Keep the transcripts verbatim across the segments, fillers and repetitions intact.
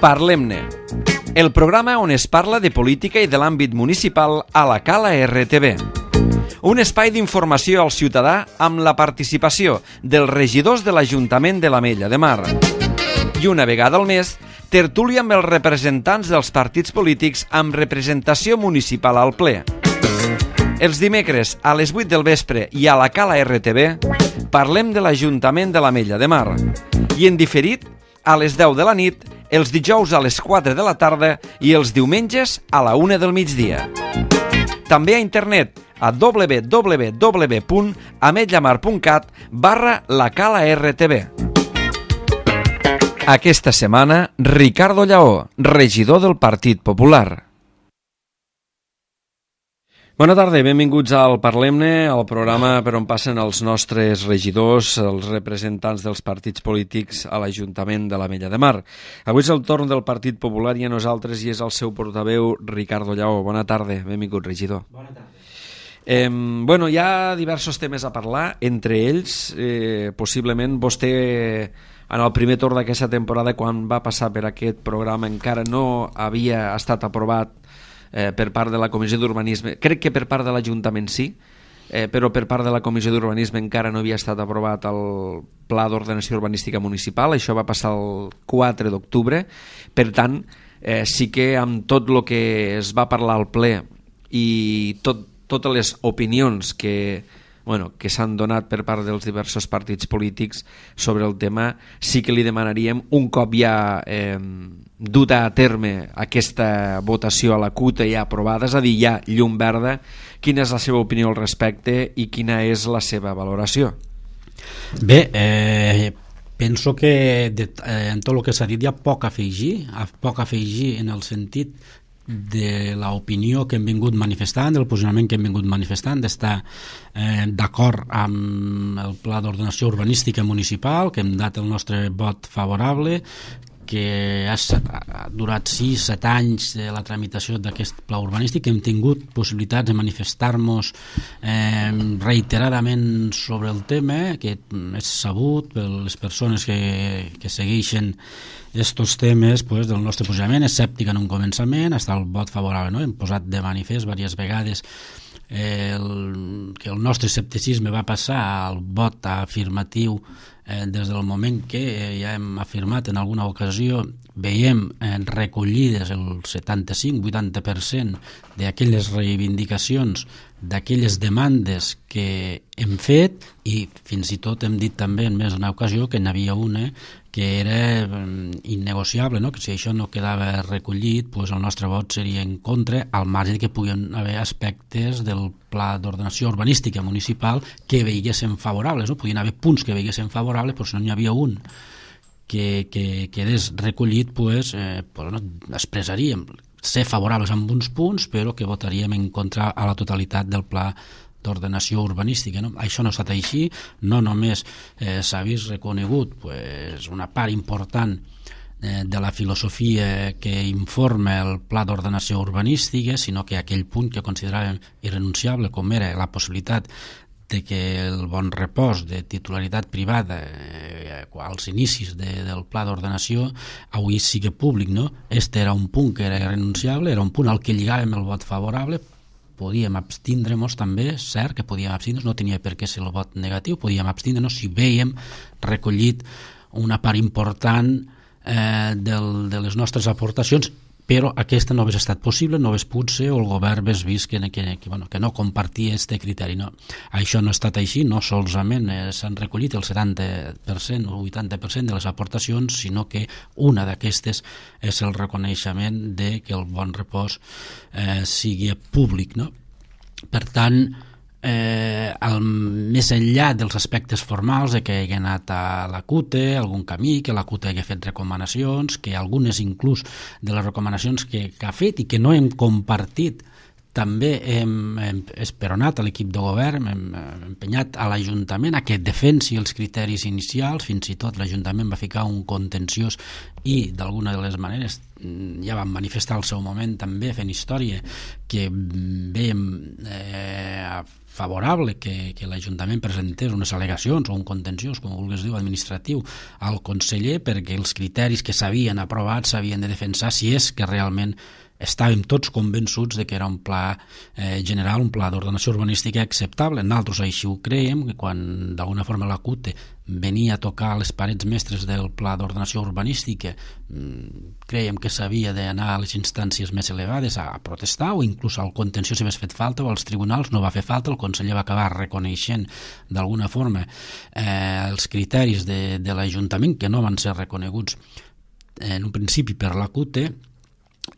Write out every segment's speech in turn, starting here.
Parlem-ne, el programa on es parla de política i de l'àmbit municipal a la Cala R T V. Un espai d'informació al ciutadà amb la participació dels regidors de l'Ajuntament de l'Ametlla de Mar. I una vegada al mes, tertúlia amb els representants dels partits polítics amb representació municipal al ple. Els dimecres a les vuit del vespre i a la Cala R T V parlem de l'Ajuntament de l'Ametlla de Mar. I en diferit, a les deu de la nit, els dijous a les quatre de la tarda i els diumenges a la una del migdia. També a internet a w w w punt ametlamar punt cat barra la Cala R T V. Aquesta setmana, Ricardo Lleó, regidor del Partit Popular. Bona tarda, benvinguts al Parlem-ne, al programa per on passen els nostres regidors, els representants dels partits polítics a l'Ajuntament de l'Ametlla de Mar. Avui és el torn del Partit Popular i a nosaltres i és el seu portaveu, Ricardo Lleó. Bona tarda, benvingut, regidor. Bona tarda. Eh, bueno, hi ha diversos temes a parlar, entre ells, eh, possiblement vostè en el primer torn d'aquesta temporada, quan va passar per aquest programa, encara no havia estat aprovat Eh, per part de la Comissió d'Urbanisme. Crec que per part de l'Ajuntament sí, eh, però per part de la Comissió d'Urbanisme encara no havia estat aprovat el Pla d'Ordenació Urbanística Municipal. Això va passar el quatre d'octubre. Per tant, eh, sí que amb tot el que es va parlar al ple i tot, totes les opinions que, bueno, que s'han donat per part dels diversos partits polítics sobre el tema, sí que li demanaríem, un cop ja eh, duta a terme aquesta votació a la C U T ja aprovada, és a dir, ja llum verda, quina és la seva opinió al respecte i quina és la seva valoració? Bé, eh, penso que de, eh, en tot el que s'ha dit hi ha poc a afegir, poc a afegir en el sentit de l'opinió que hem vingut manifestant, del posicionament que hem vingut manifestant, d'estar eh, d'acord amb el Pla d'Ordenació Urbanística Municipal, que hem dat el nostre vot favorable, que ha, ha durat sis set anys de la tramitació d'aquest pla urbanístic, que hem tingut possibilitats de manifestar-nos eh, reiteradament sobre el tema, que és sabut per les persones que, que segueixen estos temes, pues, del nostre posicionament escèptic en un començament, fins al vot favorable, no? Hem posat de manifest diverses vegades el, que el nostre escepticisme va passar al vot afirmatiu eh, des del moment que eh, ja hem afirmat en alguna ocasió, veiem eh, recollides el setanta-cinc vuitanta per cent d'aquelles reivindicacions, d'aquelles demandes que hem fet, i fins i tot hem dit també en més d'una ocasió que n'hi havia una que era innegociable, no? Que si això no quedava recollit, pues el nostre vot seria en contra, al marge que puguin haver aspectes del Pla d'Ordenació Urbanística Municipal que veiguessin favorables, no? Podien haver punts que veiguessin favorables, però si no n'hi havia un que, que quedés recollit, pues, eh, pues no, expressaríem ser favorables amb uns punts, però que votaríem en contra a la totalitat del Pla d'Ordenació Urbanística, no? Això no ha estat així, no només eh, s'ha vist reconegut pues, una part important eh, de la filosofia que informa el Pla d'Ordenació Urbanística, sinó que aquell punt que consideràvem irrenunciable, com era la possibilitat de que el bon repòs de titularitat privada eh, als inicis de, del pla d'ordenació avui sigui públic, no? Este era un punt que era irrenunciable, era un punt al que lligàvem el vot favorable. Podíem abstindre-nos també, cert que podíem abstindre-nos, no tenia per què ser el vot negatiu, podíem abstindre-nos si vèiem recollit una part important eh, del, de les nostres aportacions, però aquesta no hauria estat possible, no hauria pogut ser, o el govern hauria vist que, que, que, bueno, que no compartia aquest criteri. No. Això no ha estat així, no solament eh, s'han recollit el setanta per cent o vuitanta per cent de les aportacions, sinó que una d'aquestes és el reconeixement de que el bon repòs eh, sigui públic. No? Per tant, eh, el, més enllà dels aspectes formals de que hagi anat a la C U T, algun camí, que la C U T hagi fet recomanacions, que algunes inclús de les recomanacions que, que ha fet i que no hem compartit també hem, hem esperonat a l'equip de govern, hem, hem empenyat a l'Ajuntament a que defensi els criteris inicials, fins i tot l'Ajuntament va ficar un contenciós i d'alguna de les maneres ja vam manifestar al seu moment també fent història que veiem eh, favorable que, que l'Ajuntament presentés unes al·legacions o un contenciós, com vulguis dir, administratiu al conseller perquè els criteris que s'havien aprovat s'havien de defensar si és que realment estàvem tots convençuts de que era un pla eh, general, un pla d'ordenació urbanística acceptable. Nosaltres així ho creiem, que quan d'alguna forma la CUTE venia a tocar les parets mestres del pla d'ordenació urbanística, mmm, creiem que s'havia d'anar a les instàncies més elevades a protestar o inclús al contenció si hagués fet falta o als tribunals, no va fer falta, el conseller va acabar reconeixent d'alguna forma eh, els criteris de, de l'Ajuntament que no van ser reconeguts en un principi per la CUTE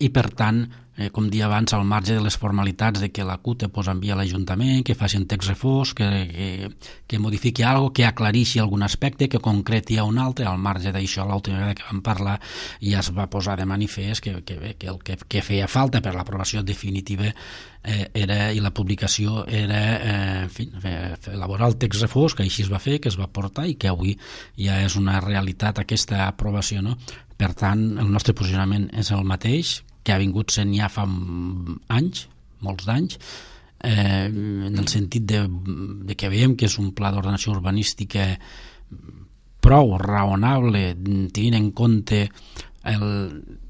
i per tant, eh, com dia abans, al marge de les formalitats de que la CUTE pues, envia a l'Ajuntament, que faci un text refós, que, que, que modifiqui alguna cosa, que aclarixi algun aspecte, que concreti a un altre, al marge d'això, l'última vegada que vam parlar ja es va posar de manifest que, que, que el que, que feia falta per l'aprovació definitiva eh, era, i la publicació era eh, en fi, elaborar el text refós, que així es va fer, que es va portar i que avui ja és una realitat aquesta aprovació, no? Per tant, el nostre posicionament és el mateix que ha vingut sent ja fa anys, molts d'anys, eh, en el sentit de, de que veiem que és un pla d'ordenació urbanística prou raonable, tenint en compte el,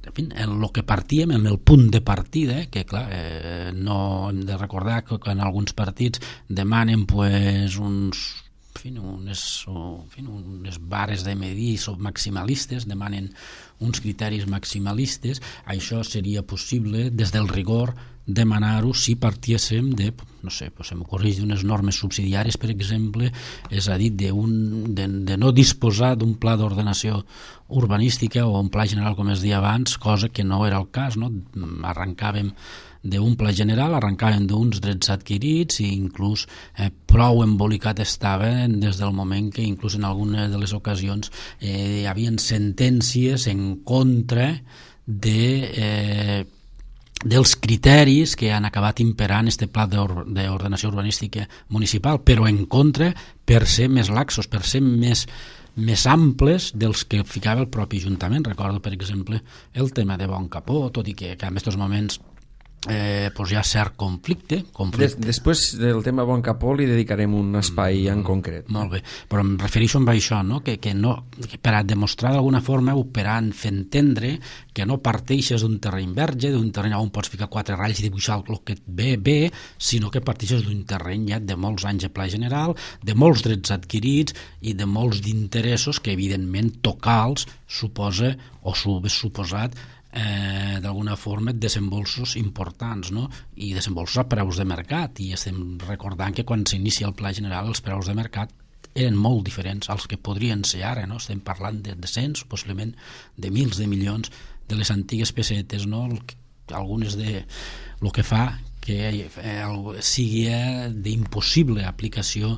en fi, el, el que partíem, en el punt de partida, que clar, eh, no hem de recordar que, que en alguns partits demanen pues, uns En fi, unes, o, en fi, unes bares de medir maximalistes, demanen uns criteris maximalistes. Això seria possible des del rigor demanar-ho si partíssim de, no sé, pues se m'ocorreix d'unes normes subsidiàries, per exemple, és a dir, de, un, de, de no disposar d'un pla d'ordenació urbanística o un pla general, com es deia abans, cosa que no era el cas, no? Arrencàvem d'un pla general, arrencàvem d'uns drets adquirits i inclús eh, prou embolicat estava des del moment que inclús en algunes de les ocasions eh, hi havia sentències en contra de, eh, dels criteris que han acabat imperant este pla d'ordenació urbanística municipal, però en contra per ser més laxos, per ser més més amples dels que ficava el propi Ajuntament. Recordo, per exemple, el tema de Bon Capó, tot i que, que en aquests moments Eh, pues hi ha cert conflicte, conflicte. Des, després del tema Bon Capó li dedicarem un espai mm, en concret. Molt bé, però em refereixo a això, no? Que, que no, que per a demostrar d'alguna forma o per a fer entendre que no parteixes d'un terreny verge, d'un terreny on pots ficar quatre ratlles i dibuixar el que et ve bé, sinó que parteixes d'un terreny ja de molts anys de pla general, de molts drets adquirits i de molts d'interessos que evidentment tocar-los suposa o s'ho hauria suposat Eh, d'alguna forma desembolsos importants, no? I desembolsos a preus de mercat, i estem recordant que quan s'inicia el pla general els preus de mercat eren molt diferents als que podrien ser ara, no? Estem parlant de, de cents, possiblement de mils de milions de les antigues pessetes, no? El, algunes de el que fa que eh, sigui d'impossible aplicació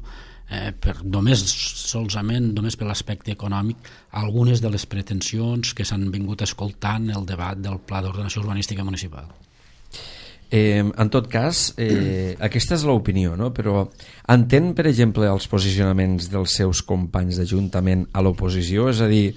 Eh, per només solament només per l'aspecte econòmic algunes de les pretensions que s'han vingut escoltant el debat del Pla d'Ordenació Urbanística Municipal. Eh, en tot cas, eh, aquesta és l'opinió, no? Però entén, per exemple, els posicionaments dels seus companys d'Ajuntament a l'oposició? És a dir,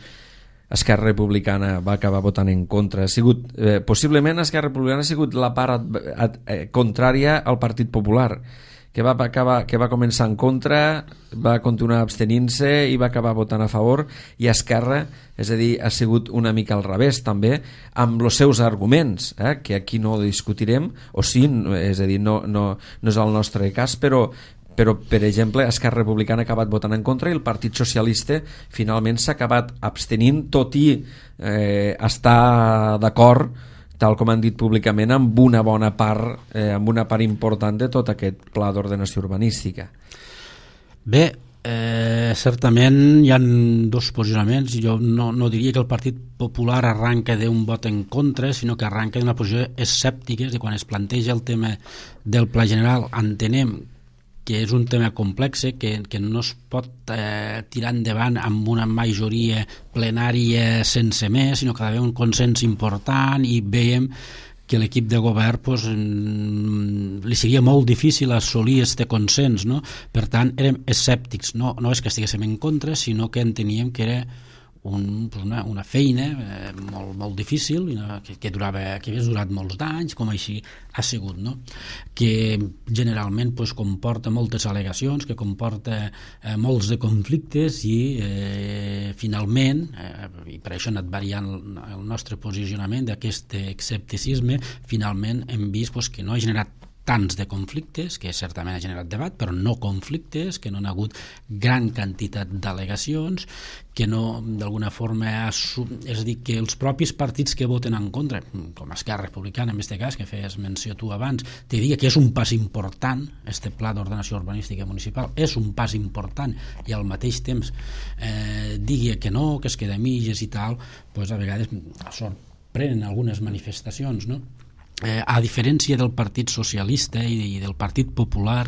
Esquerra Republicana va acabar votant en contra. Ha sigut, eh, possiblement Esquerra Republicana ha sigut la part ad, ad, eh, contrària al Partit Popular, que va, acabar, que va començar en contra, va continuar abstenint-se i va acabar votant a favor, i Esquerra, és a dir, ha sigut una mica al revés també, amb els seus arguments, eh, que aquí no discutirem, o sí, és a dir, no, no, no és el nostre cas, però, però per exemple, Esquerra Republicana ha acabat votant en contra i el Partit Socialista finalment s'ha acabat abstenint, tot i eh, estar d'acord, tal com han dit públicament, amb una bona part, eh, amb una part important de tot aquest pla d'ordenació urbanística. Bé, eh, certament hi ha dos posicionaments. Jo no, no diria que el Partit Popular arranca d'un vot en contra, sinó que arranca d'una posició escèptica, i quan es planteja el tema del pla general entenem que és un tema complex, que, que no es pot eh, tirar endavant amb una majoria plenària sense més, sinó que ha d'haver un consens important, i veiem que l'equip de govern pues, li seria molt difícil assolir este consens, no? Per tant, érem escèptics, no, no és que estiguéssim en contra, sinó que enteníem que era un, pues una, una feina eh, molt, molt difícil, que, que, durava, que havia durat molts d'anys, com així ha sigut, no? Que generalment pues, comporta moltes al·legacions, que comporta eh, molts de conflictes i eh, finalment, eh, i per això ha anat variant el, el nostre posicionament d'aquest escepticisme, finalment hem vist pues, que no ha generat tants de conflictes, que certament ha generat debat, però no conflictes, que no ha hagut gran quantitat d'al·legacions, que no, d'alguna forma, és a dir, que els propis partits que voten en contra, com Esquerra Republicana, en aquest cas, que feies menció tu abans, te diria que és un pas important, este pla d'ordenació urbanística municipal, és un pas important, i al mateix temps eh, digui que no, que es queda a mitges i tal, doncs a vegades sorprenen algunes manifestacions, no? Eh, a diferència del Partit Socialista i, i del Partit Popular,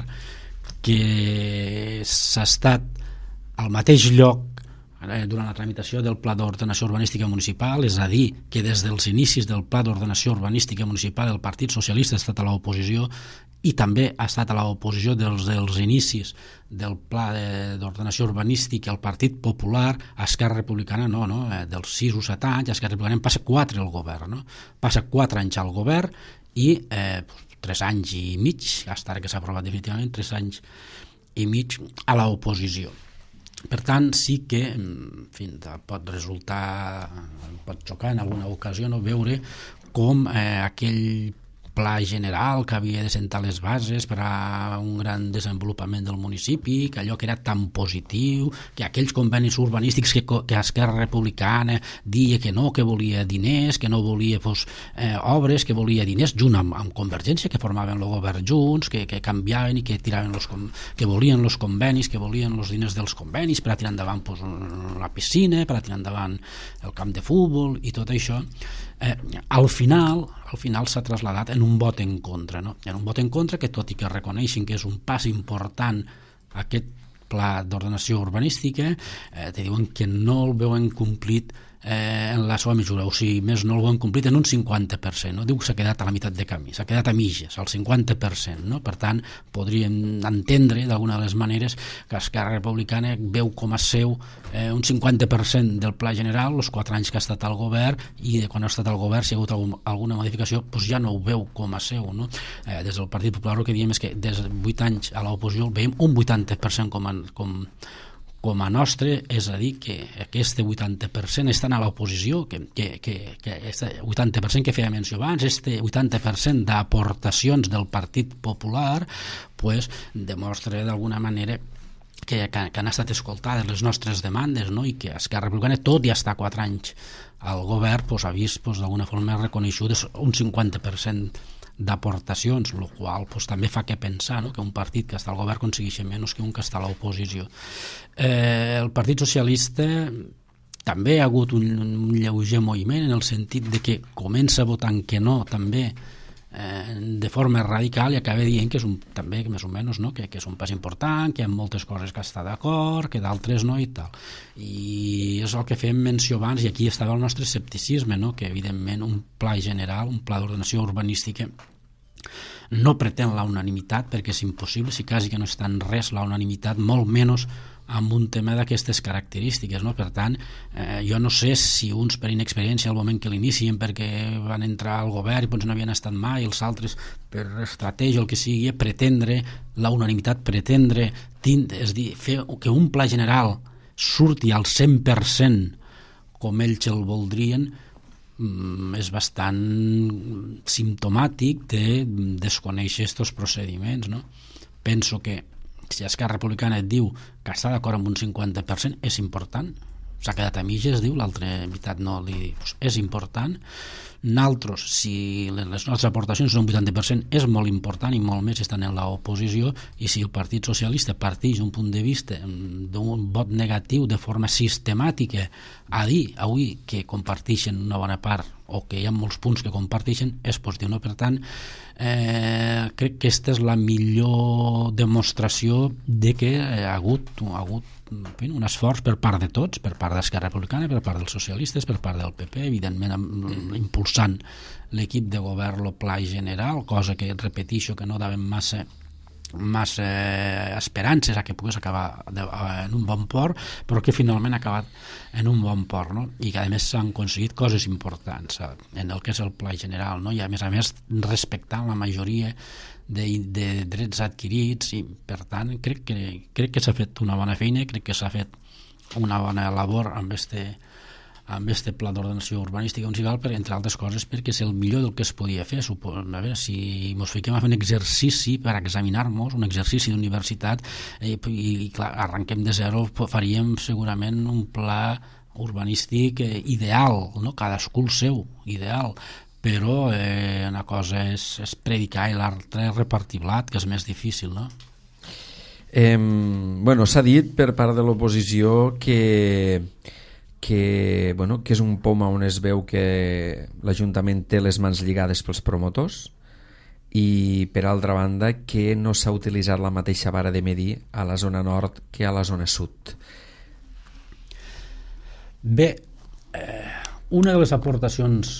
que s'ha estat al mateix lloc eh, durant la tramitació del Pla d'Ordenació Urbanística Municipal, és a dir, que des dels inicis del Pla d'Ordenació Urbanística Municipal el Partit Socialista ha estat a l'oposició i també ha estat a l'oposició dels, dels inicis del Pla d'Ordenació Urbanística el Partit Popular, Esquerra Republicana no, no, dels sis o set anys, Esquerra Republicana passa quatre al govern, no? Passa quatre anys al govern i eh, tres anys i mig, fins ara que s'ha aprovat definitivament, tres anys i mig a l'oposició. Per tant, sí que en fi, pot resultar, pot xocar en alguna ocasió no, veure com eh, aquell pla general que havia de sentar les bases per a un gran desenvolupament del municipi, que allò que era tan positiu, que aquells convenis urbanístics que, que Esquerra Republicana dia que no, que volia diners, que no volia pues, eh, obres, que volia diners, junt amb, amb Convergència, que formaven el govern junts, que, que canviaven i que tiraven los, que volien els convenis, que volien els diners dels convenis per a tirar endavant pues, la piscina, per a tirar endavant el camp de futbol i tot això. Eh, al final al final s'ha traslladat en un vot en contra, no? En un vot en contra que, tot i que reconeixen que és un pas important aquest pla d'ordenació urbanística, eh, te diuen que no el veuen complit eh, en la seva mesura, o sigui, més no el veuen complit en un cinquanta per cent, no? Diu que s'ha quedat a la meitat de camí, s'ha quedat a mitges, al cinquanta per cent, no? Per tant, podríem entendre d'alguna de les maneres que Esquerra Republicana veu com a seu eh, un cinquanta per cent del pla general, els quatre anys que ha estat al govern, i de quan ha estat al govern, si ha hagut algun, alguna modificació, doncs ja no ho veu com a seu, no? Eh, des del Partit Popular el que diem és que des de vuit anys a l'oposició veiem un vuitanta per cent com a, com, com a nostre, és a dir, que aquest vuitanta per cent estan a l'oposició, que, que, que, que este vuitanta per cent que feia menció abans, este vuitanta per cent d'aportacions del Partit Popular, pues, demostra d'alguna manera que, que, que han estat escoltades les nostres demandes, no? I que Esquerra Republicana, tot i estar quatre anys al govern, pues, ha vist pues, d'alguna forma reconeixudes un cinquanta per cent d'aportacions, el qual pues, també fa que pensar, no? Que un partit que està al govern aconsegueixi menys que un que està a l'oposició. Eh, el Partit Socialista també ha hagut un, un lleuger moviment en el sentit de que comença votant que no també eh, de forma radical i acaba dient que és un, també més o menys no? que, que és un pas important, que hi ha moltes coses que està d'acord, que d'altres no i tal. I és el que fem menció abans, i aquí estava el nostre escepticisme, no? Que evidentment un pla general, un pla d'ordenació urbanística no pretén la unanimitat, perquè és impossible, si quasi que no està en res la unanimitat, molt menys amb un tema d'aquestes característiques, no? Per tant, eh, jo no sé si uns per inexperiència al moment que l'inicien perquè van entrar al govern i doncs no havien estat mai, els altres per estratègia o el que sigui, pretendre la unanimitat, pretendre tindre, és dir, fer que un pla general surti al cent per cent com ells el voldrien, és bastant simptomàtic de desconèixer aquests procediments, no? Penso que si Esquerra Republicana et diu que està d'acord amb un cinquanta per cent, és important. S'ha quedat a mitges, diu, l'altra meitat no li diu. Pues és important. Nosaltres, si les nostres aportacions són un vuitanta per cent, és molt important i molt més estan en l'oposició, i si el Partit Socialista parteix d'un punt de vista d'un vot negatiu de forma sistemàtica a dir avui que comparteixen una bona part o que hi ha molts punts que comparteixen és positiu, no? Per tant, eh, crec que aquesta és la millor demostració de que ha hagut, ha hagut un esforç per part de tots, per part d'Esquerra Republicana, per part dels socialistes, per part del P P, evidentment impulsant l'equip de govern el pla general, cosa que repeteixo que no daven massa massa esperances a que pogués acabar de, en un bon port, però que finalment ha acabat en un bon port, no? I que a més s'han aconseguit coses importants en el que és el pla general, no? I a més a més respectant la majoria de, de drets adquirits, i per tant crec que, crec que s'ha fet una bona feina, crec que s'ha fet una bona labor amb este amb este pla d'ordenació urbanística municipal, per, entre altres coses perquè és el millor del que es podia fer. Supo, a veure, si ens fiquem a fer un exercici per examinar-nos, un exercici d'universitat, eh, i, i clar, arrenquem de zero, faríem segurament un pla urbanístic eh, ideal, no? Cadascú el seu, ideal, però eh, una cosa és, és predicar i l'altra és repartir blat, que és més difícil, no? Eh, bueno, s'ha dit per part de l'oposició que que, bueno, que és un poma on es veu que l'Ajuntament té les mans lligades pels promotors, i per altra banda que no s'ha utilitzat la mateixa vara de medir a la zona nord que a la zona sud. Bé, eh, una de les aportacions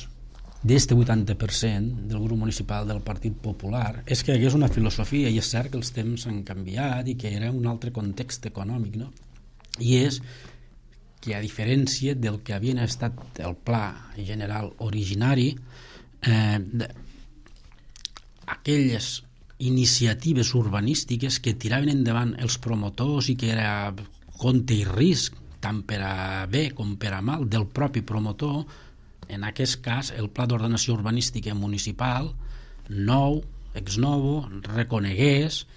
d'este vuitanta per cent del grup municipal del Partit Popular és que hi hagués una filosofia, i és cert que els temps han canviat i que era un altre context econòmic, no? I és que a diferència del que havien estat el pla general originari, eh, aquelles iniciatives urbanístiques que tiraven endavant els promotors i que era compte i risc, tant per a bé com per a mal, del propi promotor, en aquest cas el pla d'ordenació urbanística municipal nou, ex novo, reconegués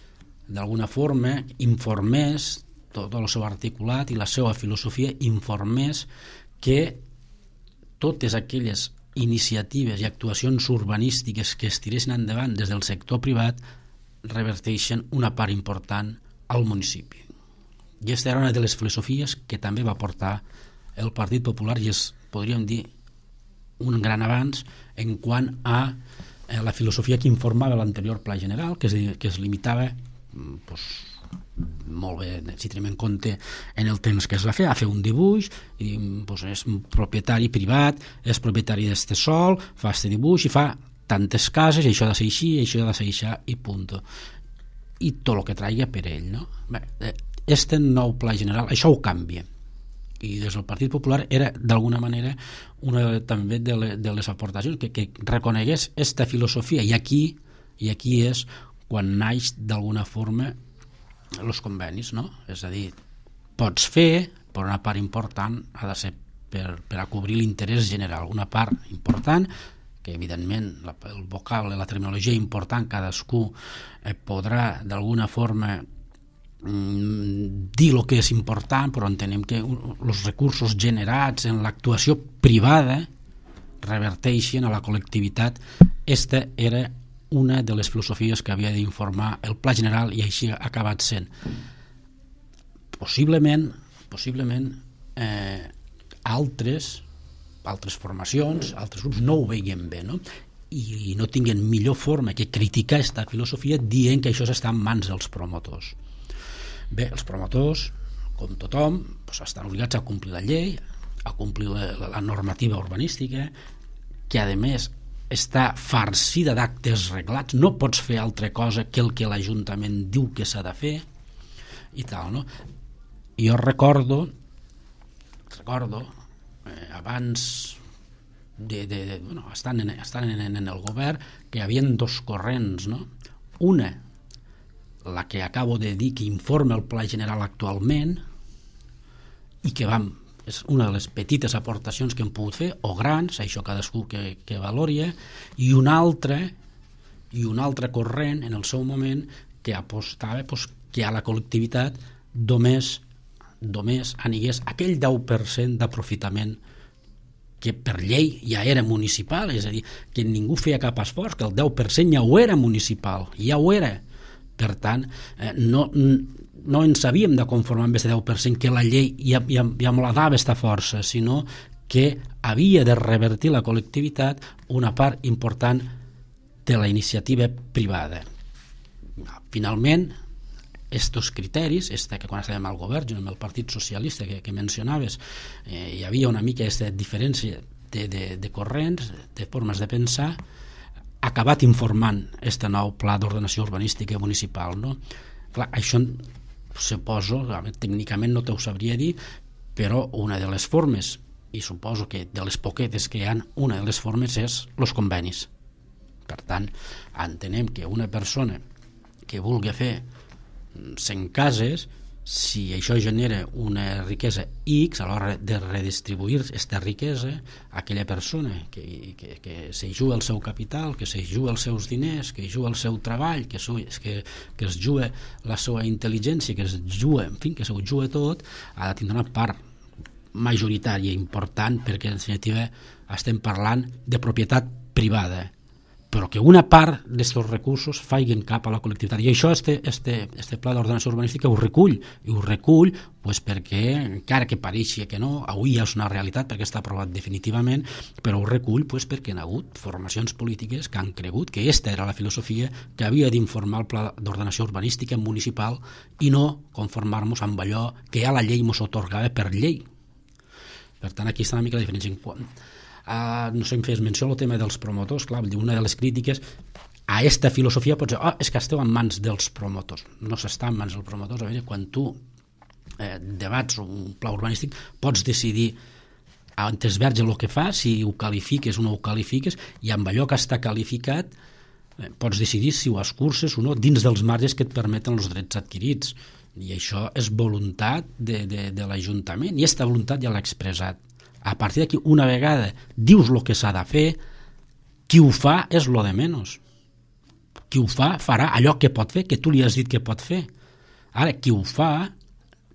d'alguna forma, informés tot el seu articulat i la seva filosofia, informés que totes aquelles iniciatives i actuacions urbanístiques que es tiressin endavant des del sector privat reverteixen una part important al municipi. I aquesta era una de les filosofies que també va portar el Partit Popular, i és, podríem dir, un gran avanç en quant a la filosofia que informava l'anterior pla general, que es, que es limitava pues, molt bé, si tenim en compte en el temps que es va fer, a fer un dibuix i doncs, és un propietari privat, és propietari d'este sol, fa este dibuix i fa tantes cases, i això ha de ser així, i això ha de ser així, i punt. I tot el que traigui per ell, no? Bé, este nou pla general, això ho canvia, i des del Partit Popular era d'alguna manera una també de, le, de les aportacions que, que reconegués esta filosofia, i aquí, i aquí és quan naix d'alguna forma els convenis, no? És a dir, pots fer, però una part important ha de ser per, per a cobrir l'interès general, una part important que evidentment la, el vocable, la terminologia important, cadascú eh, podrà d'alguna forma mm, dir el que és important, però entenem que els recursos generats en l'actuació privada reverteixen a la col·lectivitat. Esta era una de les filosofies que havia d'informar el pla general, i així ha acabat sent. Possiblement, possiblement eh, altres, altres formacions, altres grups no ho veien bé, no? I, i no tinguen millor forma que criticar aquesta filosofia dient que això està en mans dels promotors. Bé, els promotors, com tothom, doncs estan obligats a complir la llei, a complir la, la, la normativa urbanística, que a més està farcida d'actes reglats, no pots fer altra cosa que el que l'Ajuntament diu que s'ha de fer i tal, no? Jo recordo recordo eh, abans de, de, de, bueno, estan, en, estan en, en el govern, que hi havia dos corrents, no? Una, la que acabo de dir, que informa el Pla General actualment i que vam és una de les petites aportacions que hem pogut fer, o grans, això cadascú que, que valori, i un altre i un altre corrent en el seu moment que apostava pues, que a la col·lectivitat només, només anigués aquell deu per cent d'aprofitament que per llei ja era municipal, és a dir, que ningú feia cap esforç, que el deu per cent ja ho era municipal, ja ho era. Per tant, eh, no, no ens havíem de conformar amb aquest deu per cent que la llei ja, ja, ja me la dava aquesta força, sinó que havia de revertir la col·lectivitat una part important de la iniciativa privada. Finalment, estos criteris, este que quan estàvem al govern, junt amb el Partit Socialista que, que mencionaves, eh, hi havia una mica aquesta diferència de, de, de corrents, de formes de pensar, ha acabat informant este nou pla d'ordenació urbanística municipal, no? Clar, això suposo, tècnicament no t'ho sabria dir, però una de les formes, i suposo que de les poquetes que hi ha, una de les formes és els convenis. Per tant, entenem que una persona que vulgui fer cent cases, si això genera una riquesa X, a l'hora de redistribuir aquesta riquesa, aquella persona que, que, que se juga el seu capital, que se juga els seus diners, que juga el seu treball, que, que, que es juga la seva intel·ligència, que es juga, en fi, que se ho juga tot, ha de tindre una part majoritària important, perquè en definitiva estem parlant de propietat privada, però que una part d'aquests recursos faiguen cap a la col·lectivitat. I això este, este, este pla d'ordenació urbanística ho recull, i ho recull pues, perquè, encara que pareixi que no, avui ja és una realitat perquè està aprovat definitivament, però ho recull pues, perquè hi ha hagut formacions polítiques que han cregut que aquesta era la filosofia que havia d'informar el pla d'ordenació urbanística municipal i no conformar-nos amb allò que ja la llei ens atorgava per llei. Per tant, aquí està una mica la diferència. En quant Uh, no sé, em fes menció al tema dels promotors. Clar, una de les crítiques a aquesta filosofia pot ser, oh, és que esteu en mans dels promotors. No s'està en mans dels promotors. A veure, quan tu eh, debats un pla urbanístic pots decidir on es verge el que fa, si ho qualifiques o no ho qualifiques, i amb allò que està qualificat eh, pots decidir si ho escurces o no dins dels marges que et permeten els drets adquirits. I això és voluntat de, de, de l'Ajuntament, i aquesta voluntat ja l'ha expressat. A partir d'aquí, una vegada dius el que s'ha de fer, qui ho fa és lo de menys. Qui ho fa farà allò que pot fer, que tu li has dit que pot fer. Ara, qui ho fa,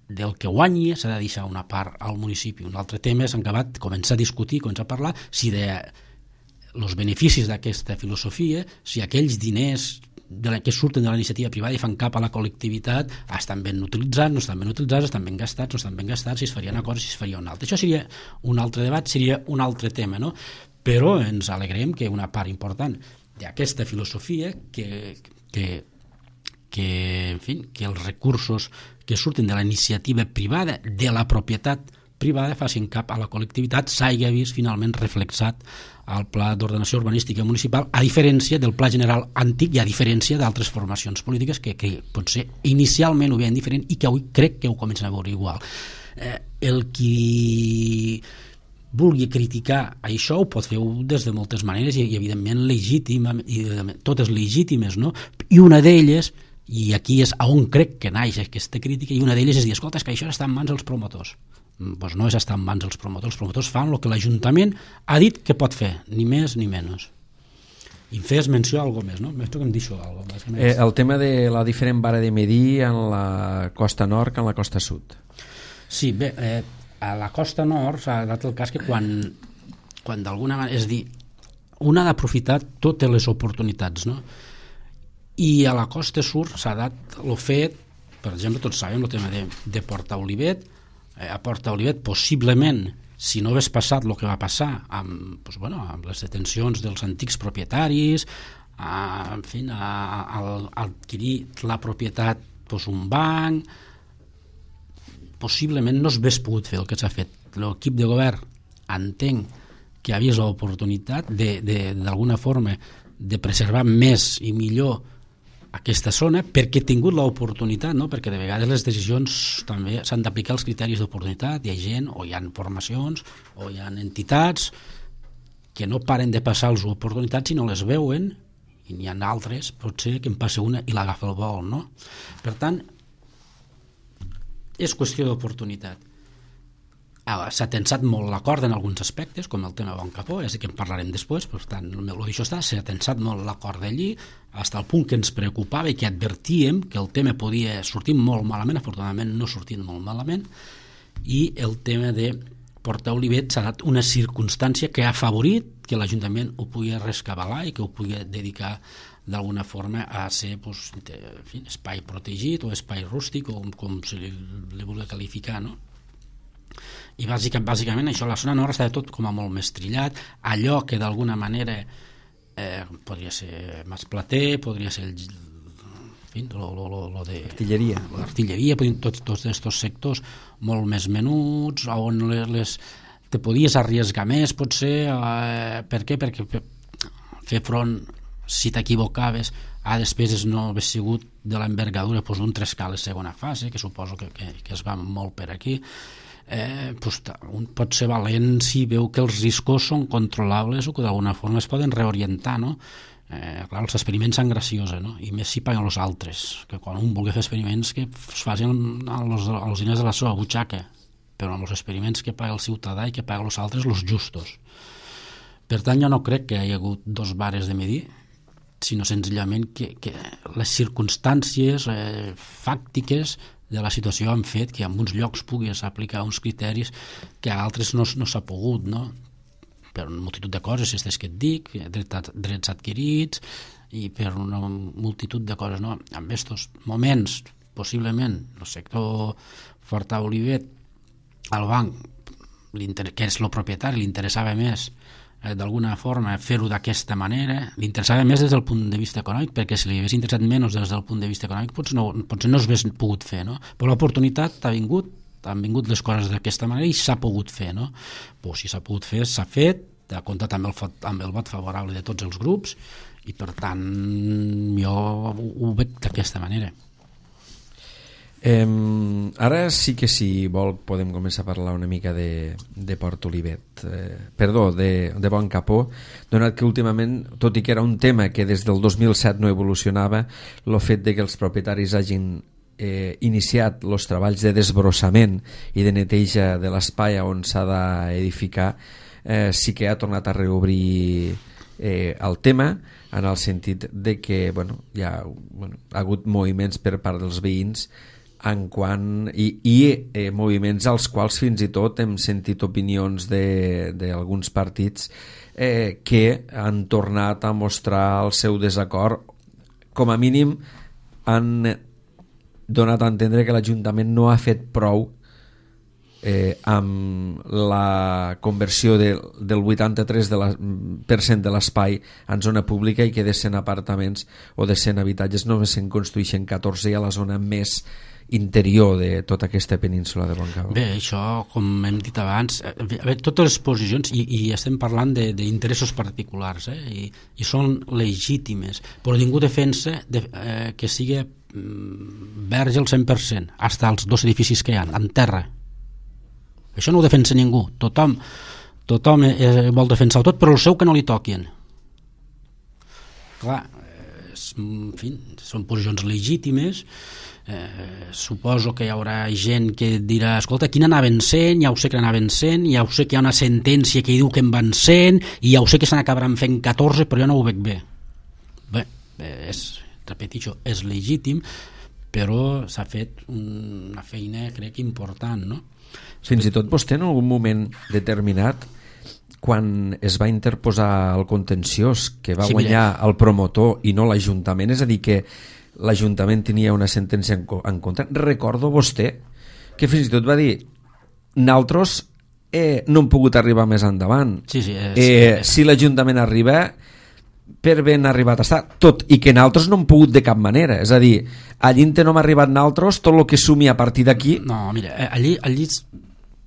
del que guanyi s'ha de deixar una part al municipi. Un altre tema és acabat, començar a discutir, començar a parlar, si de els beneficis d'aquesta filosofia, si aquells diners de la, que surten de la iniciativa privada i fan cap a la col·lectivitat estan ben utilitzats, no estan ben utilitzats, estan ben gastats, no estan ben gastats, si es faria una cosa, si es faria una altra. Això seria un altre debat, seria un altre tema, no? Però ens alegrem que una part important d'aquesta filosofia que, que, que, en fi, que els recursos que surten de la iniciativa privada, de la propietat privada, facin cap a la col·lectivitat, s'hagi vist finalment reflexat al pla d'ordenació urbanística municipal, a diferència del pla general antic i a diferència d'altres formacions polítiques que, que potser inicialment ho veien diferent i que avui crec que ho comencen a veure igual. Eh, el qui vulgui criticar això ho pot fer des de moltes maneres i, i evidentment legítima, i totes legítimes, no? I una d'elles, i aquí és on crec que naix aquesta crítica, i una d'elles és dir, escolta, és que això està en mans dels promotors. Pues no és estar en mans dels promotors, els promotors fan el que l'Ajuntament ha dit que pot fer, ni més ni menys. I fes menció a alguna més, no? Més que em deixo alguna més. Eh, el tema de la diferent vara de medir en la costa nord que en la costa sud. Sí, bé, eh, a la costa nord s'ha dat el cas que quan, quan d'alguna manera, és dir, un ha d'aprofitar totes les oportunitats, no? I a la costa sud s'ha dat el fet, per exemple, tots sabem el tema de, de Porta Olivet. A Porta Olivet, possiblement, si no hagués passat el que va passar amb, doncs, bueno, amb les detencions dels antics propietaris, a, en fi, a, a, a adquirir la propietat, doncs, un banc, possiblement no s'hagués pogut fer el que s'ha fet. L'equip de govern entenc que ha vist l'oportunitat de, de, d'alguna forma de preservar més i millor aquesta zona perquè ha tingut l'oportunitat, no? Perquè de vegades les decisions també s'han d'aplicar els criteris d'oportunitat. Hi ha gent, o hi ha formacions, o hi ha entitats que no paren de passar les oportunitats i no les veuen, i n'hi ha altres, potser que en passa una i l'agafa el vol, no? Per tant, és qüestió d'oportunitat. S'ha tensat molt l'acord en alguns aspectes, com el tema Bon Capó, és que en parlarem després, per tant, el meu això està, s'ha tensat molt l'acord d'allí, fins al punt que ens preocupava i que advertíem que el tema podia sortir molt malament, afortunadament no sortint molt malament, i el tema de Porta Olivet s'ha dat una circumstància que ha afavorit que l'Ajuntament ho pugui rescabalar i que ho pugui dedicar d'alguna forma a ser pues, de, en fi, espai protegit o espai rústic o com, com se li, li vulgui qualificar, no? I bàsicament, bàsicament això, la zona nord està tot com a molt més trillat, allò que d'alguna manera eh, podria ser Masplater, podria ser el, en fi, lo, lo, lo, lo de artilleria, l'artilleria, tots, tots aquests sectors molt més menuts, on les, les, te podies arriesgar més potser, eh, per què? Perquè per fer front, si t'equivocaves, a despeses no hagués sigut de l'envergadura pues, d'un Trescales segona fase, que suposo que, que, que es va molt per aquí. Eh, pues, un pot ser valent si veu que els riscos són controlables o que d'alguna forma es poden reorientar, no? Eh, clar, els experiments són graciosos, no? I més si paguen els altres, que quan un vulgui fer experiments que es facin als, als diners de la seva butxaca, però amb els experiments que paga el ciutadà i que paga els altres, els justos. Per tant, jo no crec que hi ha hagut dos vares de medir, sinó senzillament que, que les circumstàncies eh, fàctiques de la situació han fet que en uns llocs puguis aplicar uns criteris que a altres no, no s'ha pogut, no? Per una multitud de coses, aquestes que et dic, drets, drets adquirits i per una multitud de coses, no? En aquests moments, possiblement, el sector Forta Olivet, al banc, que és el propietari, li interessava més eh, d'alguna forma fer-ho d'aquesta manera, li interessava més des del punt de vista econòmic, perquè si li hagués interessat menys des del punt de vista econòmic potser no, potser no s'hagués pogut fer, no? Però l'oportunitat ha vingut, han vingut les coses d'aquesta manera i s'ha pogut fer, no? Pues si s'ha pogut fer, s'ha fet, ha comptat amb el, amb el vot favorable de tots els grups i per tant jo ho, ho veig d'aquesta manera. Eh, ara sí que si vol podem començar a parlar una mica de, de Port Olivet, eh, perdó, de, de Bon Capó, donat que últimament, tot i que era un tema que des del dos mil set no evolucionava, el fet de que els propietaris hagin eh, iniciat els treballs de desbrossament i de neteja de l'espai on s'ha d'edificar eh, sí que ha tornat a reobrir eh, el tema, en el sentit de que bueno, hi ha, bueno, ha hagut moviments per part dels veïns en quant, i, i eh, moviments als quals fins i tot hem sentit opinions d'alguns partits eh, que han tornat a mostrar el seu desacord, com a mínim han donat a entendre que l'Ajuntament no ha fet prou eh, amb la conversió de, del vuitanta-tres per cent de l'espai en zona pública i que de cent apartaments o de cent habitatges només se'n construeixen catorze a la zona més interior de tota aquesta península de Bon Capó. Bé, això, com hem dit abans, a veure, totes les posicions, i, i estem parlant d'interessos particulars, eh, i, i són legítimes, però ningú defensa de, eh, que sigui mm, verge al cent per cent, fins als dos edificis que hi ha, en terra. Això no ho defensa ningú. Tothom, tothom eh, vol defensar tot, però el seu que no li toquin. Clar, eh, en fi, són posicions legítimes. Eh, suposo que hi haurà gent que dirà, escolta, quina anaven sent? Ja ho sé que anaven sent, ja ho sé que hi ha una sentència que diu que en van sent, i ja ho sé que se n'acabaran fent catorze, però jo no ho veig bé. Bé, és, repeteixo, és legítim, però s'ha fet una feina, crec, important, no? Fins i tot vostè en algun moment determinat, quan es va interposar el contenciós, que va sí, guanyar mira. el promotor i no l'Ajuntament, és a dir que l'Ajuntament tenia una sentència en, en contra, recordo vostè que fins i tot va dir nosaltres eh, no hem pogut arribar més endavant, sí, sí, és, eh, és... si l'Ajuntament arriba per ben arribat està, tot i que nosaltres no hem pogut de cap manera, és a dir, allí no hem arribat nosaltres, tot el que sumi a partir d'aquí. No, mira, allí, allí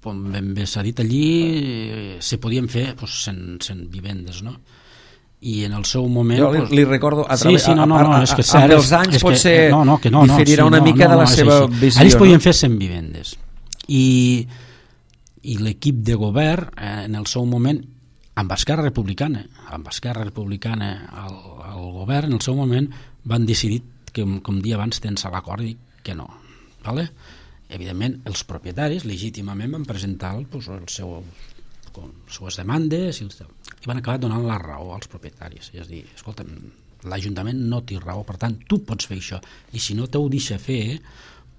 com ben bé s'ha dit, allí eh, se podien fer pues, cent, cent vivendes, no? I en el seu moment... Jo li, pues... li recordo a través... Sí, sí, no, no, no, és que cert, amb els anys és potser que, no, no, que no, no, diferirà sí, una no, mica no, de la no, seva sí, sí. visió. Allí es podien no? fer cent vivendes. I, i l'equip de govern, eh, en el seu moment, amb Esquerra Republicana, amb Esquerra Republicana al, al govern, en el seu moment, van decidir que, com dia abans, tens l'acord i que no. Vale? Evidentment, els propietaris legítimament van presentar pues, el seu, com, les seves demandes i, i van acabar donant la raó als propietaris. És a dir, escolta, l'Ajuntament no té raó, per tant, tu pots fer això. I si no t'ho deixa fer,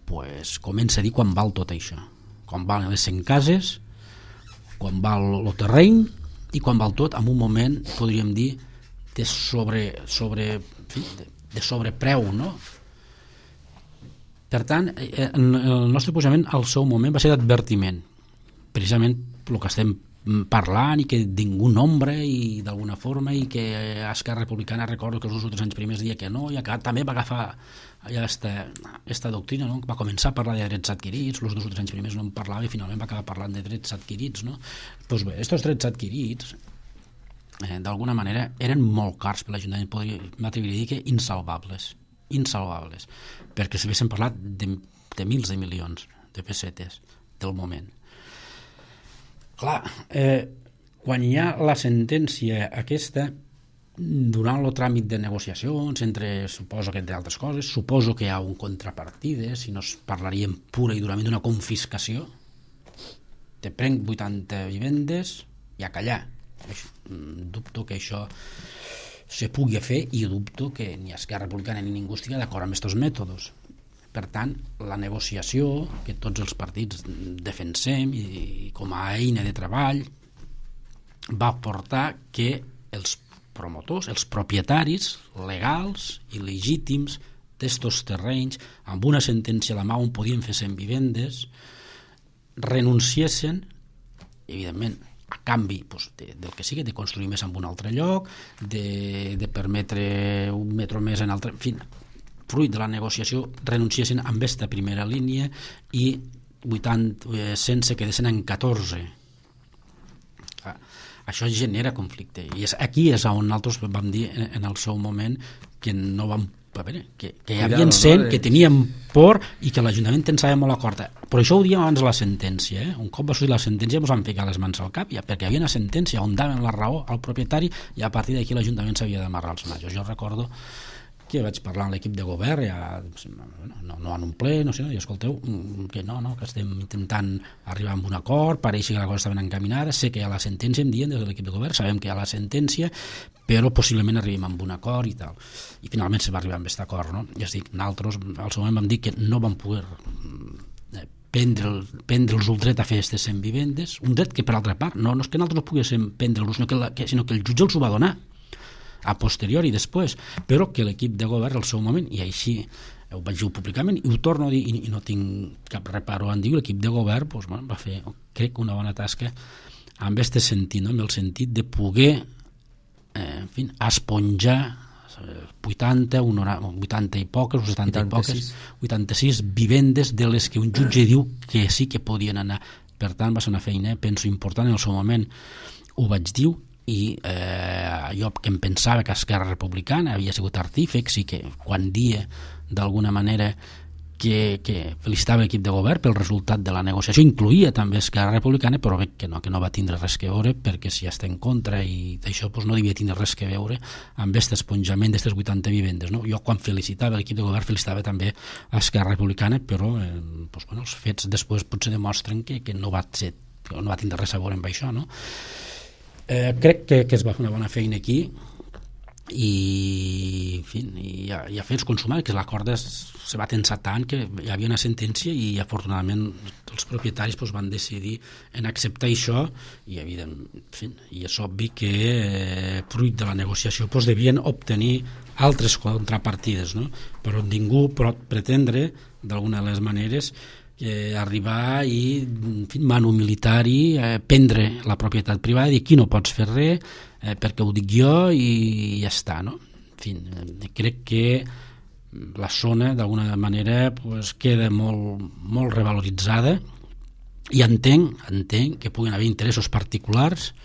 pues, comença a dir quan val tot això. Quan valen les cent cases, quan val el terreny i quan val tot, en un moment, podríem dir, de sobre, sobre en fi, de, de sobrepreu, no? Per tant, el nostre posament al seu moment va ser d'advertiment, precisament el que estem parlant i que ningú nombra i d'alguna forma, i que Esquerra Republicana, recordo que els dos anys primers dia que no, i que també va agafar ja esta, esta doctrina, no? Va començar a parlar de drets adquirits, els dos anys primers no en parlava i finalment va acabar parlant de drets adquirits, no? Doncs bé, aquests drets adquirits eh, d'alguna manera eren molt cars per l'Ajuntament, m'atreviria a dir que insalvables, insalvables, perquè s'haguessin parlat de, de mils de milions de pessetes del moment. Clar, eh, quan hi ha la sentència aquesta, durant el tràmit de negociacions, entre, suposo que entre altres coses, suposo que hi ha un contrapartida, si no es parlaríem pura i durament d'una confiscació, te prenc vuitanta vivendes i a callar. Dubto que això se pugui fer i dubto que ni Esquerra Republicana ni ningú estigui d'acord amb aquests mètodes. Per tant, la negociació que tots els partits defensem i com a eina de treball va portar que els promotors, els propietaris legals i legítims d'estos terrenys, amb una sentència a la mà on podien fer cent vivendes, renunciessin, evidentment, a canvi doncs, de, del que sigui, de construir més en un altre lloc, de, de permetre un metro més en altre... En fi, fruit de la negociació, renunciessin amb aquesta primera línia i vuitanta, eh, sense quedessin en catorze. Ah, això genera conflicte. I és, aquí és on nosaltres vam dir en, en el seu moment que no vam a veure, que, que hi havia cent, no? que teníem por i que l'Ajuntament pensava molt a corta. Però això ho diem abans de la sentència. Eh? Un cop va sortir la sentència ens vam ficar les mans al cap, ja, perquè hi havia una sentència on daven la raó al propietari i a partir d'aquí l'Ajuntament s'havia d'amarrar els majos. Jo recordo que vaig parlar amb l'equip de govern, ja, no, no en un ple, no sé, no, i escolteu, que no, no, que estem intentant arribar a un acord, pareix que la cosa està ben encaminada, sé que hi ha la sentència, em diuen des de l'equip de govern, sabem que hi ha la sentència, però possiblement arribem a un acord i tal. I finalment se va arribar a aquest acord, no? Ja es dic, nosaltres al seu moment vam dir que no vam poder prendre, prendre'ls el dret a fer aquestes cent vivendes, un dret que per altra part, no, no és que nosaltres no poguéssim prendre-los, sinó que, la, que, sinó que el jutge els ho va donar a posteriori després, però que l'equip de govern al seu moment, i així ho vaig dir públicament i ho torno a dir i, i no tinc cap reparo en dir, l'equip de govern doncs, bueno, va fer, crec, una bona tasca amb aquest sentit, no? Amb el sentit de poder eh, en fi, esponjar vuitanta, vuitanta i poques o setanta vuitanta-sis. I poques, vuitanta-sis vivendes de les que un jutge diu que sí que podien anar. Per tant, va ser una feina, penso, important en el seu moment, ho vaig dir, i eh, jo que em pensava que Esquerra Republicana havia sigut artífex i que quan dia d'alguna manera que, que felicitava l'equip de govern pel resultat de la negociació, incluïa també Esquerra Republicana, però veig que no, que no va tindre res que veure, perquè si està en contra i d'això doncs no devia tindre res que veure amb aquest esponjament d'aquestes vuitanta vivendes, no? Jo quan felicitava l'equip de govern felicitava també Esquerra Republicana, però eh, doncs, bueno, els fets després potser demostren que, que no va ser, que no va tindre res a veure amb això, no? Eh, crec que, que es va fer una bona feina aquí i, en fi, i a, i a fer-los consumar, que l'acord se va tensar tant que hi havia una sentència i afortunadament els propietaris doncs, van decidir en acceptar això i, evident, en fi, i és obvi que eh, fruit de la negociació doncs, devien obtenir altres contrapartides, no? Però ningú pot pretendre d'alguna de les maneres Eh, arribar i en fi, manu militari, eh, prendre la propietat privada i dir aquí no pots fer res eh, perquè ho dic jo i ja està, no? En fi, eh, crec que la zona d'alguna manera pues, queda molt, molt revaloritzada i entenc, entenc que puguin haver interessos particulars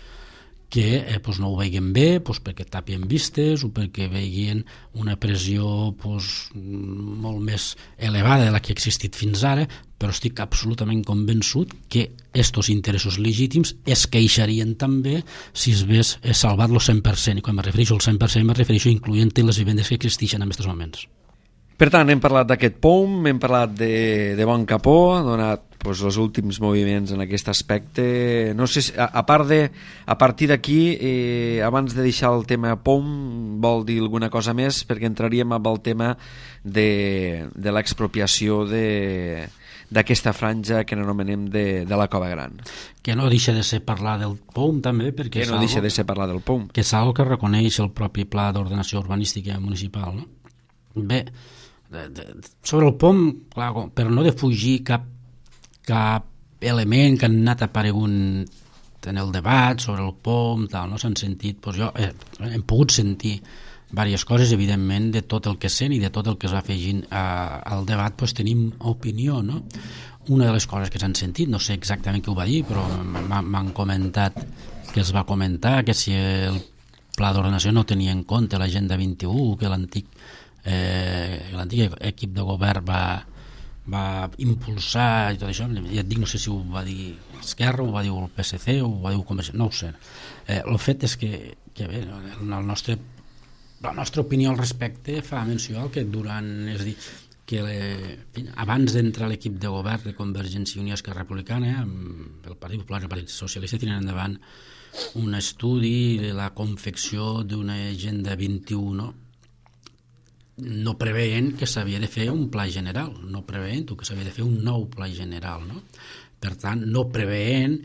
que eh, pues, no ho veien bé pues, perquè tapien vistes o perquè veien una pressió pues, molt més elevada de la que ha existit fins ara, però estic absolutament convençut que estos interessos legítims es queixarien també si es ves salvat el cent per cent, i quan me refereixo al cent per cent me refereixo incloent les vivendes que existeixen en aquests moments. Per tant, hem parlat d'aquest P O M, hem parlat de, de Bon Capó, ha donat pues, els últims moviments en aquest aspecte. No sé si, a, a part de, a partir d'aquí, eh, abans de deixar el tema P O M, vol dir alguna cosa més? Perquè entraríem amb el tema de, de l'expropiació de, d'aquesta franja que n'anomenem de, de la Cova Gran. Que no deixa de ser parlar del P O M també, perquè que no deixa de ser parlar del P O M. Que és algo que reconeix el propi Pla d'Ordenació Urbanística Municipal, no? Bé, de, de, sobre el P O M, clar, per no defugir cap, cap element que han anat aparegunt en el debat sobre el P O M, tal, no s'han sentit, doncs jo eh, hem pogut sentir diverses coses, evidentment, de tot el que sent i de tot el que es va afegint eh, al debat, doncs tenim opinió, no? Una de les coses que s'han sentit, no sé exactament què ho va dir, però m'han comentat que es va comentar que si el Pla d'Ordenació no tenia en compte l'Agenda vint-i-u, que l'antic eh, l'antic equip de govern va, va impulsar i tot això, ja et dic, no sé si ho va dir Esquerra, ho va dir el P S C, o ho va dir el Convergència, no ho sé. Eh, el fet és que, que bé, el nostre la nostra opinió al respecte fa menció al que durant, és a dir, que le, abans d'entrar l'equip de govern de Convergència i Unió Esquerra Republicana, amb el Partit Popular i el Partit Socialista tenen endavant un estudi de la confecció d'una agenda vint-i-u, no? No preveient que s'havia de fer un pla general, no preveient que s'havia de fer un nou pla general, no? Per tant, no preveient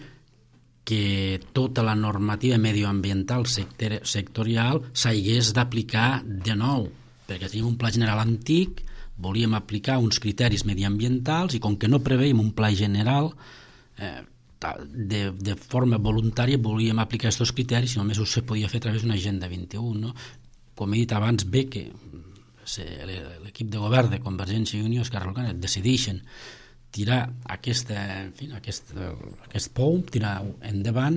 que tota la normativa medioambiental sector, sectorial s'hagués d'aplicar de nou, perquè tenim un pla general antic, volíem aplicar uns criteris mediambientals i com que no preveiem un pla general eh, de, de forma voluntària volíem aplicar aquests criteris i només ho se podia fer a través d'una agenda vint-i-u, no? Com he dit abans, bé que l'equip de govern de Convergència i Unió Esquerra Republicana decideixen tirar aquesta, en fi, aquest, aquest P O M, tirar endavant,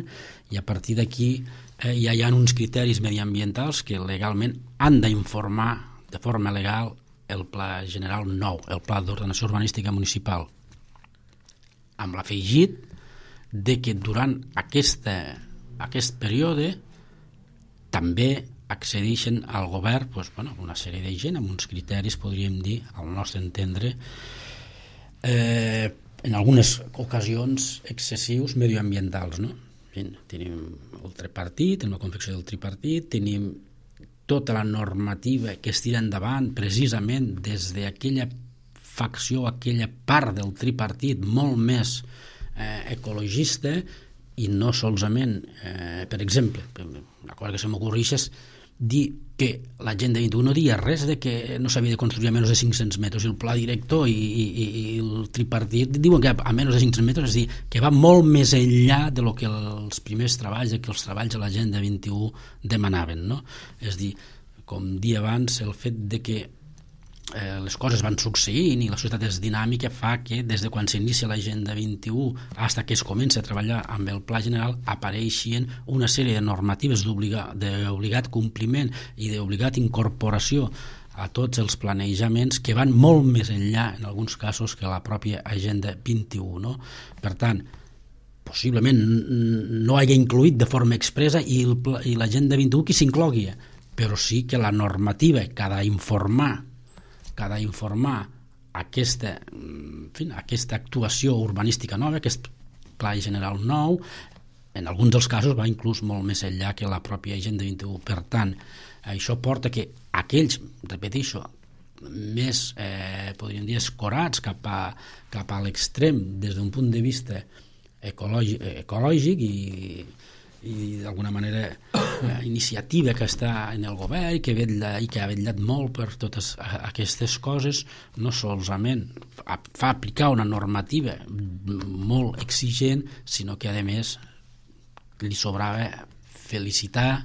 i a partir d'aquí eh, ja hi ha uns criteris mediambientals que legalment han d'informar de forma legal el Pla General nou, el Pla d'Ordenació Urbanística Municipal, amb l'afegit de que durant aquesta, aquest període també accedeixen al govern doncs, bueno, una sèrie de gent amb uns criteris, podríem dir, al nostre entendre, Eh, en algunes ocasions excessius medioambientals, no? Tenim el tripartit, en la confecció del tripartit, tenim tota la normativa que es tira endavant precisament des d'aquella facció, aquella part del tripartit molt més eh, ecologista i no solament, eh, per exemple, una cosa que se m'ocorreix és dir que l'Agenda vint-i-u no dia res de que no s'havia de construir a menys de cinc-cents metres i el pla director i, i, i el tripartit diuen que a menys de cinc-cents metres, és a dir, que va molt més enllà de lo que els primers treballs, que els treballs de l'Agenda vint-i-u demanaven, no? És a dir, com dia abans, el fet de que eh, les coses van succeint i la societat és dinàmica fa que des de quan s'inicia l'Agenda vint-i-u fins que es comença a treballar amb el Pla General apareixien una sèrie de normatives d'obligat compliment i d'obligat incorporació a tots els planejaments que van molt més enllà en alguns casos que la pròpia Agenda vint-i-u, no? Per tant, possiblement no hagi incluït de forma expressa i l'Agenda vint-i-u qui s'inclogui, però sí que la normativa que ha d'informar que ha d'informar aquesta, en fi, aquesta actuació urbanística nova, aquest pla general nou, en alguns dels casos va inclús molt més enllà que la pròpia Agenda vint-i-u. Per tant, això porta que aquells, repeteixo, més, eh, podríem dir, escorats cap a, cap a l'extrem des d'un punt de vista ecològic, ecològic i i d'alguna manera eh, iniciativa que està en el govern i que, vetlla, i que ha vetllat molt per totes aquestes coses, no solament fa aplicar una normativa molt exigent, sinó que a més li sobrava felicitar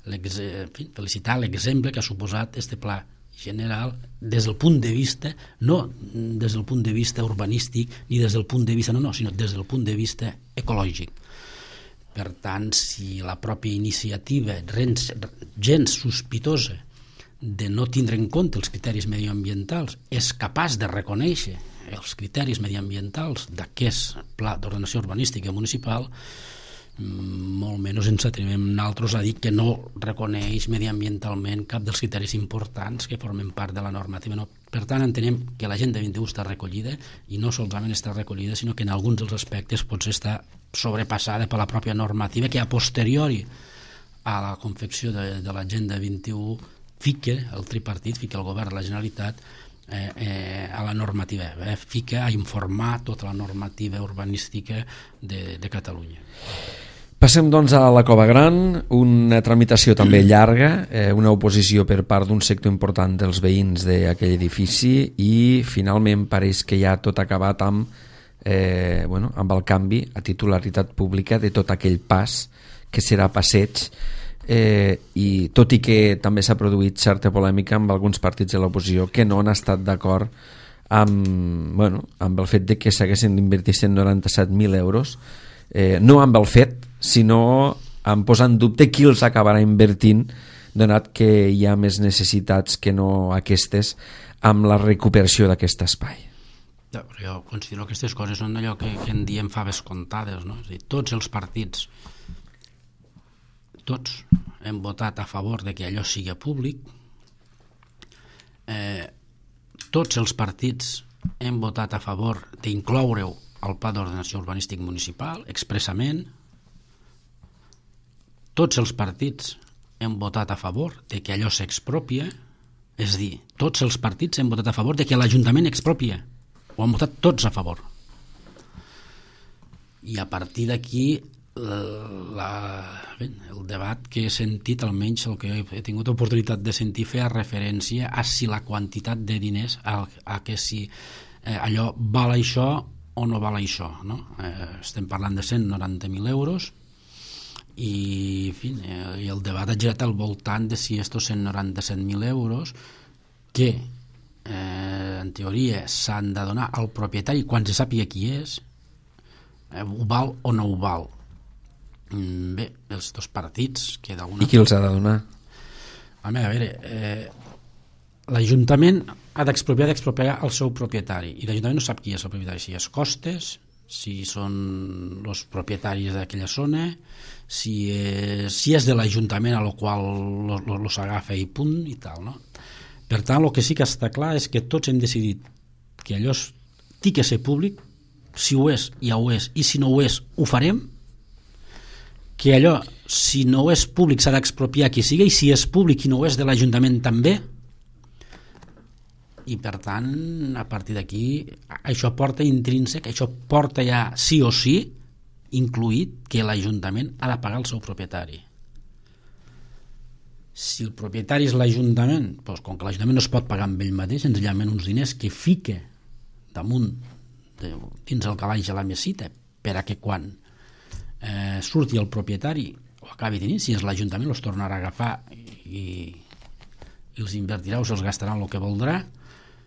felicitar l'exemple que ha suposat este pla general des del punt de vista, no des del punt de vista urbanístic ni des del punt de vista, no, no, sinó des del punt de vista ecològic. Per tant, si la pròpia iniciativa gens sospitosa de no tindre en compte els criteris mediambientals és capaç de reconèixer els criteris mediambientals d'aquest pla d'ordenació urbanística municipal, molt menys ens atrevim nosaltres a dir que no reconeix mediambientalment cap dels criteris importants que formen part de la normativa. No. Per tant, entenem que l'Agenda vint-i-u està recollida i no solament està recollida, sinó que en alguns dels aspectes potser està sobrepassada per la pròpia normativa que a posteriori a la confecció de, de l'Agenda vint-i-u fica el tripartit, fica el govern de la Generalitat eh, eh, a la normativa, eh, fica a informar tota la normativa urbanística de, de Catalunya. Passem doncs a la Cova Gran, una tramitació també llarga, eh, una oposició per part d'un sector important dels veïns d'aquell edifici i finalment pareix que ja tot acabat amb, eh, bueno, amb el canvi a titularitat pública de tot aquell pas que serà passeig, eh, i tot i que també s'ha produït certa polèmica amb alguns partits de l'oposició que no han estat d'acord amb, bueno, amb el fet de que s'haguessin d'invertir cent noranta-set mil euros, eh, no amb el fet, sinó en posar en dubte qui els acabarà invertint, donat que hi ha més necessitats que no aquestes amb la recuperació d'aquest espai. Jo considero que aquestes coses són allò que, que en diem faves comptades, no? És a dir, tots els partits, tots hem votat a favor de que allò sigui públic, eh, tots els partits hem votat a favor d'incloure-ho al Pla d'Ordenació Urbanístic Municipal expressament, tots els partits hem votat a favor de que allò s'expropia, és a dir, tots els partits hem votat a favor de que l'Ajuntament expropia, ho han votat tots a favor. I a partir d'aquí la, bé, el debat que he sentit, almenys el que he tingut oportunitat de sentir, feia referència a si la quantitat de diners, a, a que si eh, allò val això o no val això, no? Eh, estem parlant de cent noranta mil euros i, en fi, eh, i el debat ha girat al voltant de si estos cent noranta-set mil euros que eh, en teoria s'han de donar al propietari quan se sàpiga qui és, eh, ho val o no ho val. Mm, bé, els dos partits que d'alguna... I qui els ha de donar? Home, a veure, eh, l'Ajuntament ha d'expropiar d'expropiar el seu propietari i l'Ajuntament no sap qui és el propietari, si és Costes, si són els propietaris d'aquella zona, si és, si és de l'Ajuntament a lo qual lo, lo, lo s'agafa i punt i tal, no? Per tant, el que sí que està clar és que tots hem decidit que allò té que ser públic, si ho és, ja ho és, i si no ho és, ho farem, que allò, si no és públic, s'ha d'expropiar qui sigui, i si és públic i no ho és de l'Ajuntament també, i per tant, a partir d'aquí, això porta intrínsec, això porta ja sí o sí incluït que l'Ajuntament ha de pagar el seu propietari. Si el propietari és l'Ajuntament, doncs, com que l'Ajuntament no es pot pagar amb ell mateix, senzillament uns diners que fica damunt de, dins el calaix de la mesita per a que quan eh, surti el propietari o acabi tenint, si és l'Ajuntament els tornarà a agafar i, i els invertirà o se'ls gastarà el que voldrà.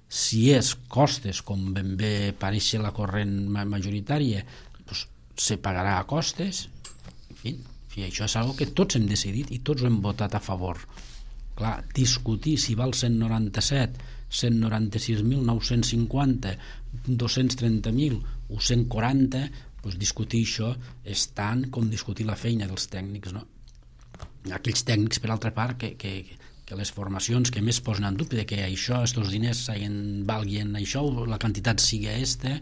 Si és Costes, com ben bé pareix la corrent majoritària, doncs se pagarà a Costes. En fi, en fi, això és una cosa que tots hem decidit i tots ho hem votat a favor. Clar, discutir si val cent noranta-set, cent noranta-sis mil nou-cents cinquanta, dos-cents trenta mil o cent quaranta, doncs discutir això és tant com discutir la feina dels tècnics, no? Aquells tècnics, per altra part, que, que, que les formacions que més posen en dubte de que això, estos diners valguin això, la quantitat sigui aquesta,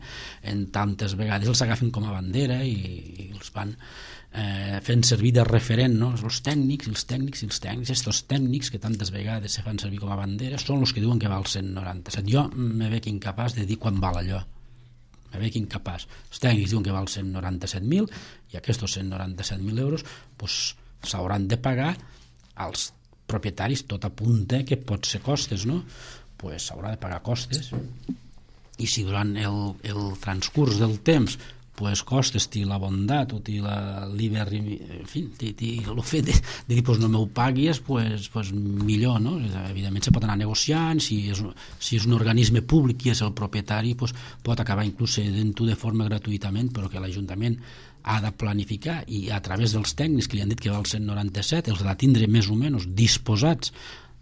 en tantes vegades els agafen com a bandera i, i els van eh, fent servir de referent, no? Els tècnics, els tècnics, els tècnics, estos tècnics que tantes vegades se fan servir com a bandera són els que diuen que val cent noranta-set. Jo me veig incapaç de dir quan val allò. Me veig incapaç. Els tècnics diuen que val cent noranta-set mil i aquests cent noranta-set mil euros pues, s'hauran de pagar als propietaris, tot apunta que pot ser Costes, no? Pues s'haurà de pagar Costes i si durant el, el transcurs del temps pues Costes té la bondat o té la liber, en fi, té, té el fet de, de dir pues no m'ho paguis, pues, pues millor, no? Evidentment se pot anar negociant, si és, si és un organisme públic i és el propietari, pues pot acabar inclús cedint-ho de forma gratuïtament, però que l'Ajuntament ha de planificar i a través dels tècnics que li han dit que val cent noranta-set els ha de tindre més o menys disposats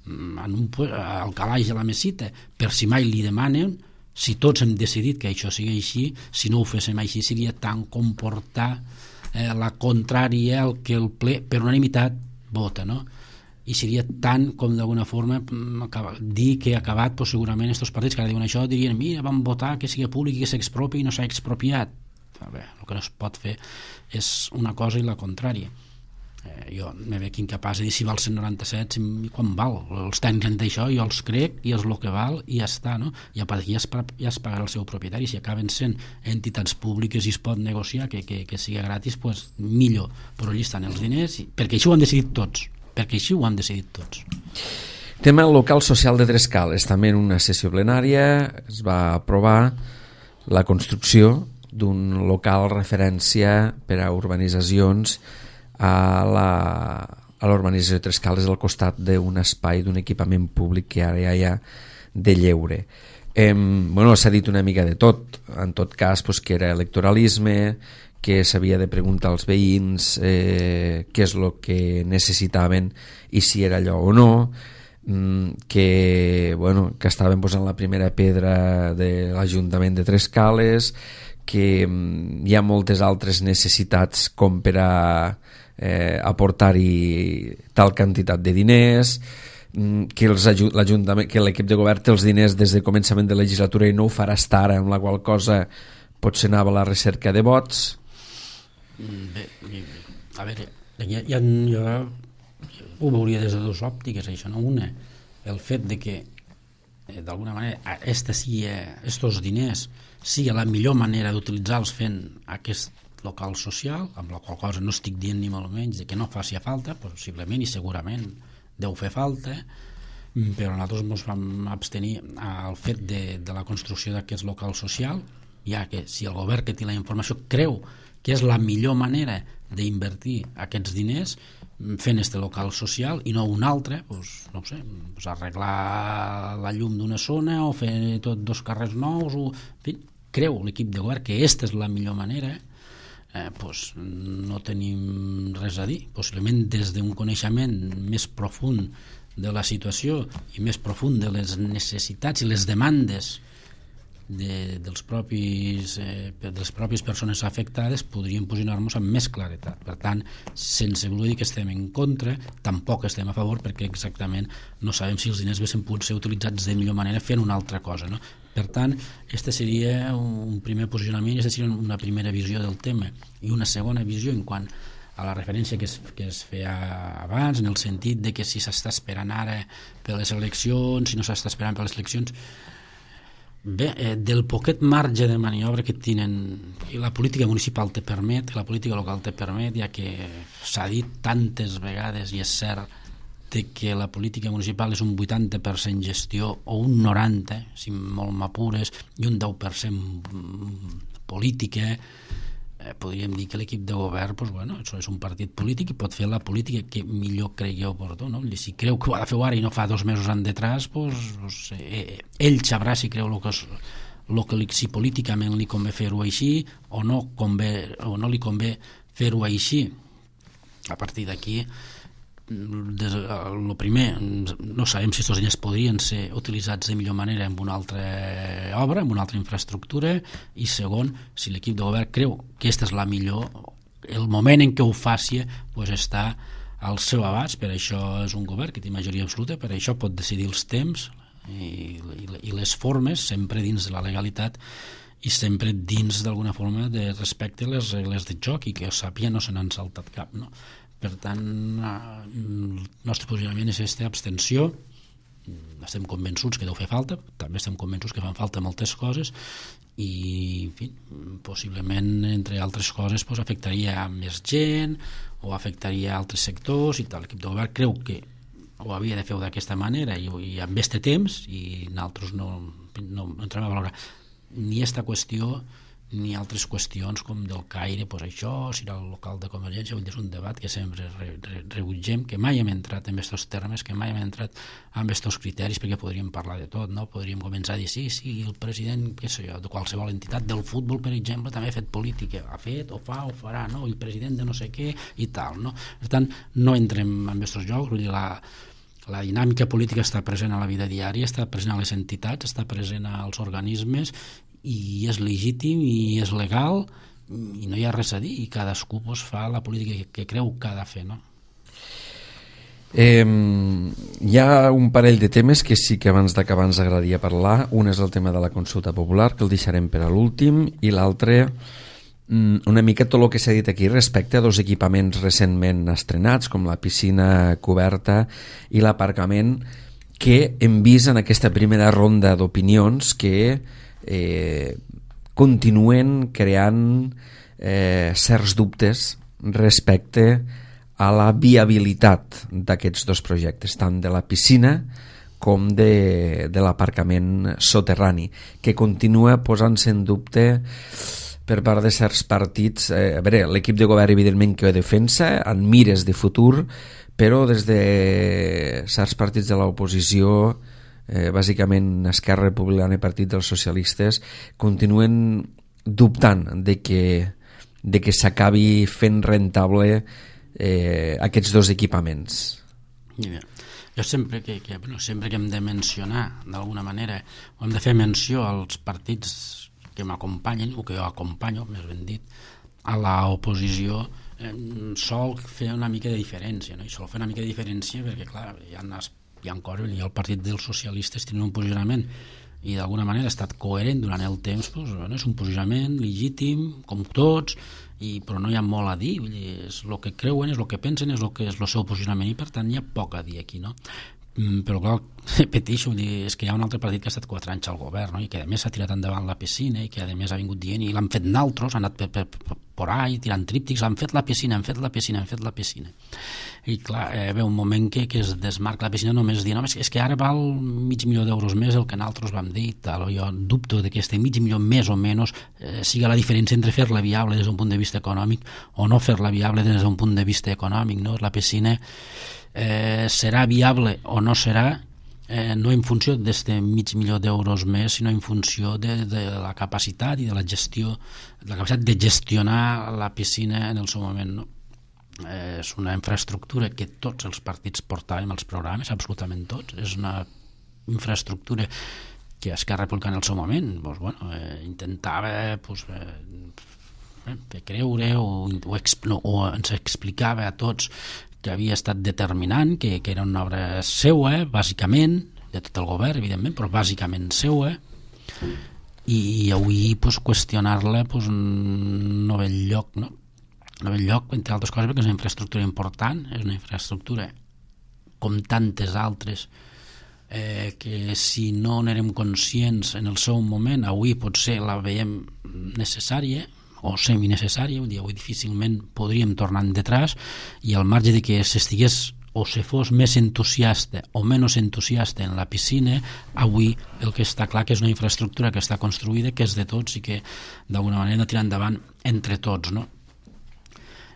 en un, al calaix de la mesita per si mai li demanen. Si tots hem decidit que això sigui així, si no ho féssim així seria tant comportar eh, la contrària al que el ple per unanimitat vota, no? I seria tant com d'alguna forma dir que ha acabat pues, segurament aquests partits que ara diuen això dirien mira vam votar que sigui públic i que s'expropi i no s'ha expropiat. Bé, el que no es pot fer és una cosa i la contrària, eh, jo me veig incapaç de dir si val cent noranta-set, si, quan val, els tècnics en això, jo els crec i és el que val i ja està, no? I a partir d'aquí ja, ja es pagarà el seu propietari. Si acaben sent entitats públiques i es pot negociar que, que, que sigui gratis, pues, millor, però allí estan els diners, perquè així ho han decidit tots, perquè així ho han decidit tots. Tema local social de Trescales, també en una sessió plenària es va aprovar la construcció d'un local referència per a urbanitzacions a la a l'urbanització de Trescales al costat d'un espai, d'un equipament públic que ara ja hi ha de lleure. Eh, bueno, s'ha dit una mica de tot, en tot cas pues, que era electoralisme, que s'havia de preguntar als veïns eh, què és el que necessitaven i si era allò o no, que, bueno, que estaven posant la primera pedra de l'Ajuntament de Trescales, que hi ha moltes altres necessitats com per a eh, aportar-hi tal quantitat de diners, que l'Ajuntament, que l'equip de govern té els diners des de començament de legislatura i no ho farà estar ara, amb la qual cosa potser anava a la recerca de vots. Bé, a veure, ja, ja, jo ho veuria des de dues òptiques, això, no? Una, el fet de que eh, d'alguna manera esta sigui, estos diners sigui la millor manera d'utilitzar-los fent aquest local social, amb la qual cosa no estic dient ni molt menys de que no faci falta, possiblement i segurament deu fer falta, però nosaltres ens vam abstenir al fet de, de la construcció d'aquest local social, ja que si el govern que té la informació creu que és la millor manera d'invertir aquests diners fent este local social i no un altre, doncs, no ho sé, doncs arreglar la llum d'una zona o fer tot dos carrers nous, o, en fi, creu l'equip de govern que aquesta és la millor manera, eh, doncs no tenim res a dir. Possiblement des d'un coneixement més profund de la situació i més profund de les necessitats i les demandes de, dels propis, eh, de les pròpies persones afectades podríem posicionar-nos amb més claretat. Per tant, sense voler dir que estem en contra, tampoc estem a favor, perquè exactament no sabem si els diners haguessin pogut ser utilitzats de millor manera fent una altra cosa, no? Per tant, este seria un primer posicionament, aquesta seria una primera visió del tema, i una segona visió en quant a la referència que es, que es feia abans, en el sentit de que si s'està esperant ara per les eleccions, si no s'està esperant per les eleccions. Bé, eh, del poquet marge de maniobra que tenen, i la política municipal te permet, la política local te permet, ja que s'ha dit tantes vegades, i és cert, de que la política municipal és un vuitanta per cent gestió o un noranta per cent, si molt m'apures, i un deu per cent política. Eh, podríem dir que l'equip de govern, pues, bueno, això és un partit polític i pot fer la política que millor cregui oportú, no? I si creu que ho ha de fer ara i no fa dos mesos en detrás, pues, pues, eh, ell sabrà si creu lo que és, lo que li, si políticament li convé fer-ho així o no, convé, o no li convé fer-ho així. A partir d'aquí, el primer, no sabem si aquests diners podrien ser utilitzats de millor manera en una altra obra, en una altra infraestructura, i segon, si l'equip de govern creu que aquesta és la millor, el moment en què ho faci pues, està al seu abast. Per això és un govern que té majoria absoluta, per això pot decidir els temps i, i, i les formes, sempre dins de la legalitat i sempre dins d'alguna forma de respecte a les regles de joc, i que jo sàpiga no se n'han saltat cap, no? Per tant, el nostre posicionament és aquesta abstenció. Estem convençuts que deu fer falta, també estem convençuts que fan falta moltes coses, i en fi, possiblement, entre altres coses, pues, afectaria a més gent o afectaria a altres sectors i tal. L'equip de govern creu que ho havia de fer d'aquesta manera i, i amb este temps, i nosaltres no, no, no entrem a valorar ni aquesta qüestió ni altres qüestions com del Caire, pues això, si era el local de Convergència, és un debat que sempre re, re, rebutgem, que mai hem entrat en aquests termes, que mai hem entrat en aquests criteris, perquè podríem parlar de tot, no? Podríem començar a dir, sí, sí, el president, què sé jo, de qualsevol entitat del futbol, per exemple, també ha fet política, ha fet, o fa, o farà, no? El president de no sé què, i tal, no? Per tant, no entrem en aquests jocs, vull dir, la, la dinàmica política està present a la vida diària, està present a les entitats, està present als organismes, i és legítim i és legal i no hi ha res a dir, i cadascú pues, fa la política que, que creu que ha de fer, no? Eh, hi ha un parell de temes que sí que abans d'acabar ens agradaria parlar. Un és el tema de la consulta popular, que el deixarem per a l'últim, i l'altre una mica tot el que s'ha dit aquí respecte a dos equipaments recentment estrenats, com la piscina coberta i l'aparcament, que hem vist en aquesta primera ronda d'opinions que eh, continuen creant eh, certs dubtes respecte a la viabilitat d'aquests dos projectes, tant de la piscina com de, de l'aparcament soterrani, que continua posant-se en dubte per part de certs partits. Eh, a veure, l'equip de govern evidentment que ho defensa en mires de futur, però des de certs partits de l'oposició, eh, bàsicament Esquerra Republicana i Partit dels Socialistes, continuen dubtant de que, de que s'acabi fent rentable eh, aquests dos equipaments. Yeah. Jo sempre que, que, bueno, sempre que hem de mencionar d'alguna manera, o hem de fer menció als partits que m'acompanyen, o que jo acompanyo, més ben dit, a l'oposició, eh, sol fer una mica de diferència, no? I sol fer una mica de diferència perquè, clar, hi ha, hi ha coses, i el Partit dels Socialistes tenen un posicionament i d'alguna manera ha estat coherent durant el temps, doncs, bueno, és un posicionament legítim, com tots, i, però no hi ha molt a dir, vull dir, és el que creuen, és el que pensen, és el que és el seu posicionament, i per tant hi ha poc a dir aquí, no? Mm, però clar, repeteixo, és que hi ha un altre partit que ha estat quatre anys al govern, no? I que a més s'ha tirat endavant la piscina i que a més ha vingut dient, i l'han fet naltros, han anat per, per, per, per ahí tirant tríptics, han fet la piscina, han fet la piscina, han fet la piscina, i clar, eh, ve un moment que, que es desmarca la piscina només dient, no, és, és que ara val mig milió d'euros més el que nosaltres vam dir, tal. Jo dubto de que este mig milió més o menys eh, siga la diferència entre fer-la viable des d'un punt de vista econòmic o no fer-la viable des d'un punt de vista econòmic, no? La piscina Eh, serà viable o no serà, eh, no en funció d'este mig milió d'euros més, sinó en funció de, de la capacitat i de la gestió, de la capacitat de gestionar la piscina en el seu moment, no? Eh, és una infraestructura que tots els partits portàvem als programes, absolutament tots. És una infraestructura que Esquerra Republicana en el seu moment, doncs, bueno, eh, intentava doncs, eh, fer creure o, o, no, o ens explicava a tots que havia estat determinant, que, que era una obra seua, bàsicament, de tot el govern, evidentment, però bàsicament seua, i, i avui pues, qüestionar-la pues, no ve lloc, no? No ve lloc, entre altres coses, perquè és una infraestructura important, és una infraestructura com tantes altres, eh, que si no n'érem conscients en el seu moment, avui potser la veiem necessària, o seminecessària, vull dir, avui difícilment podríem tornar endetrás, i al marge de que s'estigués o se fos més entusiasta o menys entusiasta en la piscina, avui el que està clar que és una infraestructura que està construïda, que és de tots i que d'alguna manera hem de tirar endavant entre tots, no?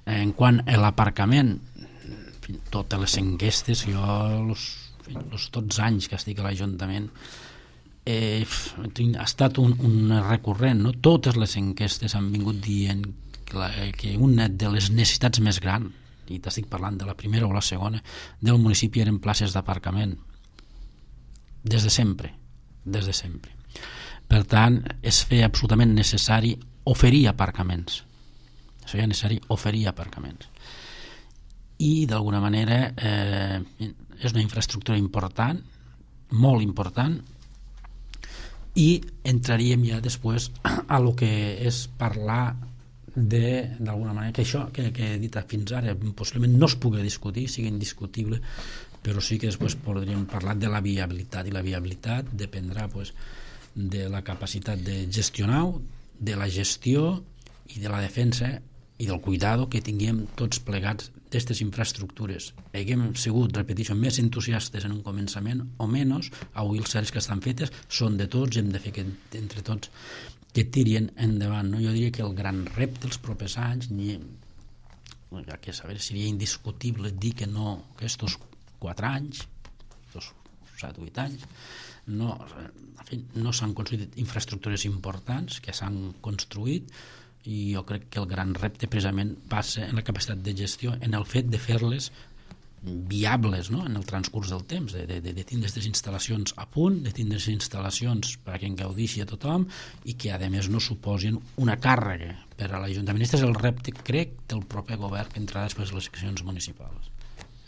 En quant a l'aparcament, totes les enquestes, jo els, els tots anys que estic a l'Ajuntament, Eh, ha estat un, un recurrent, no? Totes les enquestes han vingut dient que, la, que una de les necessitats més grans, i t'estic parlant de la primera o la segona, del municipi eren places d'aparcament, des de sempre, des de sempre. Per tant, es feia absolutament necessari oferir aparcaments, es feia necessari oferir aparcaments, i d'alguna manera eh, és una infraestructura important, molt important, i entraríem ja després a lo que és parlar de, d'alguna manera, que això que, que he dit fins ara possiblement no es pugui discutir, sigui indiscutible, però sí que després podríem parlar de la viabilitat, i la viabilitat dependrà pues, de la capacitat de gestionar, de la gestió i de la defensa i del cuidado que tinguem tots plegats d'aquestes infraestructures. Haguem sigut, repeteixo, més entusiastes en un començament o menys, avui els certs que estan fetes són de tots, hem de fer que entre tots que tirin endavant, no? Jo diria que el gran repte dels propers anys, ni, ja que saber, seria indiscutible dir que no, que estos quatre anys, estos set o vuit anys, no, en fi, no s'han construït infraestructures importants que s'han construït, i jo crec que el gran repte precisament passa en la capacitat de gestió, en el fet de fer-les viables, no? En el transcurs del temps, de, de, de tindre aquestes instal·lacions a punt, de tindre aquestes instal·lacions perquè en gaudeixi a tothom i que a més no suposin una càrrega per a l'Ajuntament. Aquest és el repte, crec, del proper govern que entrarà després de les eleccions municipals.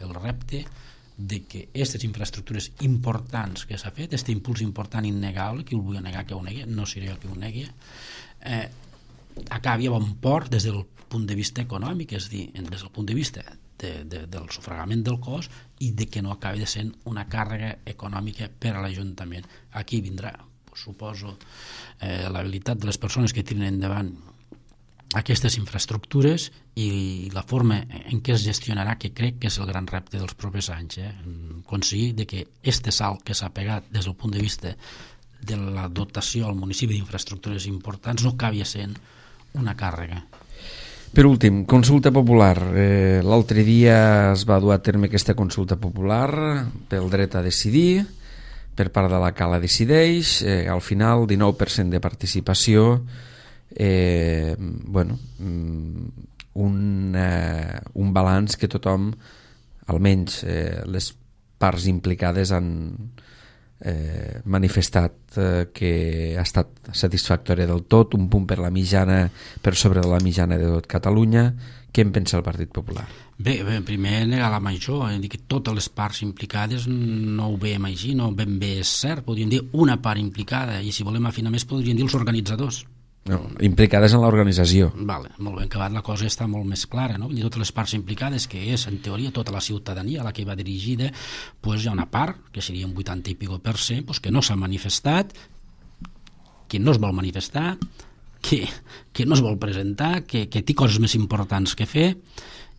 El repte de que aquestes infraestructures importants que s'ha fet, aquest impuls important innegable, qui ho vulgui negar que ho negui, no seré jo qui ho negui, eh, acabi a bon port des del punt de vista econòmic, és a dir, des del punt de vista de, de, del sufragament del cos, i de que no acabi de ser una càrrega econòmica per a l'Ajuntament. Aquí vindrà, pues, suposo, eh, l'habilitat de les persones que tiren endavant aquestes infraestructures i la forma en què es gestionarà, que crec que és el gran repte dels propers anys, eh? Aconseguir de que este salt que s'ha pegat des del punt de vista de la dotació al municipi d'infraestructures importants no acabi sent una càrrega. Per últim, consulta popular. Eh, l'altre dia es va dur a terme aquesta consulta popular pel dret a decidir per part de la Cala Decideix. Eh, al final, dinou per cent de participació. Eh, bueno, un, eh, un balanç que tothom, almenys eh, les parts implicades, han eh, manifestat eh, que ha estat satisfactòria del tot, un punt per la mitjana, per sobre de la mitjana de tot Catalunya. Què en pensa el Partit Popular? Bé, bé primer negar la major, eh, dir que totes les parts implicades no ho veiem així, no ben bé és cert, podríem dir una part implicada, i si volem afinar més podríem dir els organitzadors. No, implicades en l'organització. Vale, molt ben acabat, la cosa està molt més clara, no? I totes les parts implicades, que és en teoria tota la ciutadania a la que va dirigida, pues hi ha una part, que seria un vuitanta i pico per cent, pues que no s'ha manifestat, que no es vol manifestar, que, que no es vol presentar, que, que té coses més importants que fer,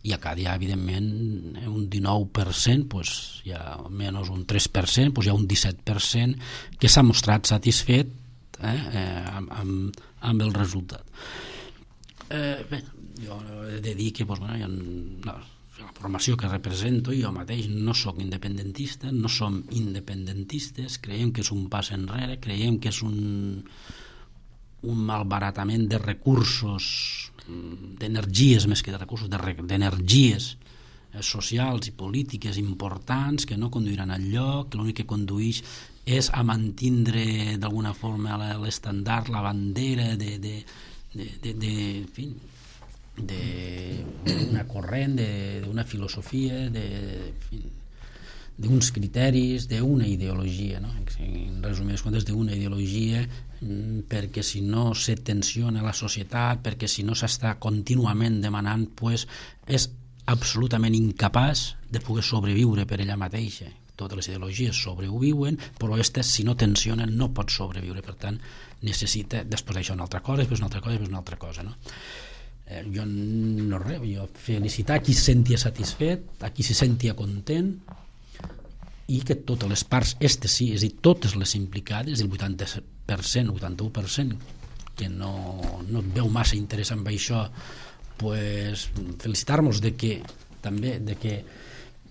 i acá hi ha, evidentment, un dinou per cent, pues, hi ha menys un tres per cent, pues hi ha un disset per cent que s'ha mostrat satisfet Eh, eh, amb, amb, amb el resultat. Eh, bé, jo he de dir que pues, bueno, jo, no, la formació que represento, jo mateix no sóc independentista, no som independentistes, creiem que és un pas enrere, creiem que és un, un malbaratament de recursos, d'energies més que de recursos, d'energies socials i polítiques importants que no conduiran al lloc, que l'únic que condueix és a mantindre d'alguna forma l'estandard, la bandera de, de, de, de, de, en fi, d'una corrent, d'una filosofia, d'uns criteris, d'una ideologia, no? En resumides comptes, d'una ideologia, perquè si no se tensiona la societat, perquè si no s'està contínuament demanant, pues, és absolutament incapaç de poder sobreviure per ella mateixa. Totes les ideologies sobreviuen, però aquestes, si no tensionen, no pot sobreviure. Per tant, necessita, després d'això, una altra cosa, després una altra cosa, després una altra cosa, no? Eh, jo no res, jo felicitar a qui se sentia satisfet, a qui se sentia content, i que totes les parts, este sí, és a dir, totes les implicades, el vuitanta per cent, vuitanta-u per cent, que no, no et veu massa interès en això, pues, felicitar-nos de que, també, de que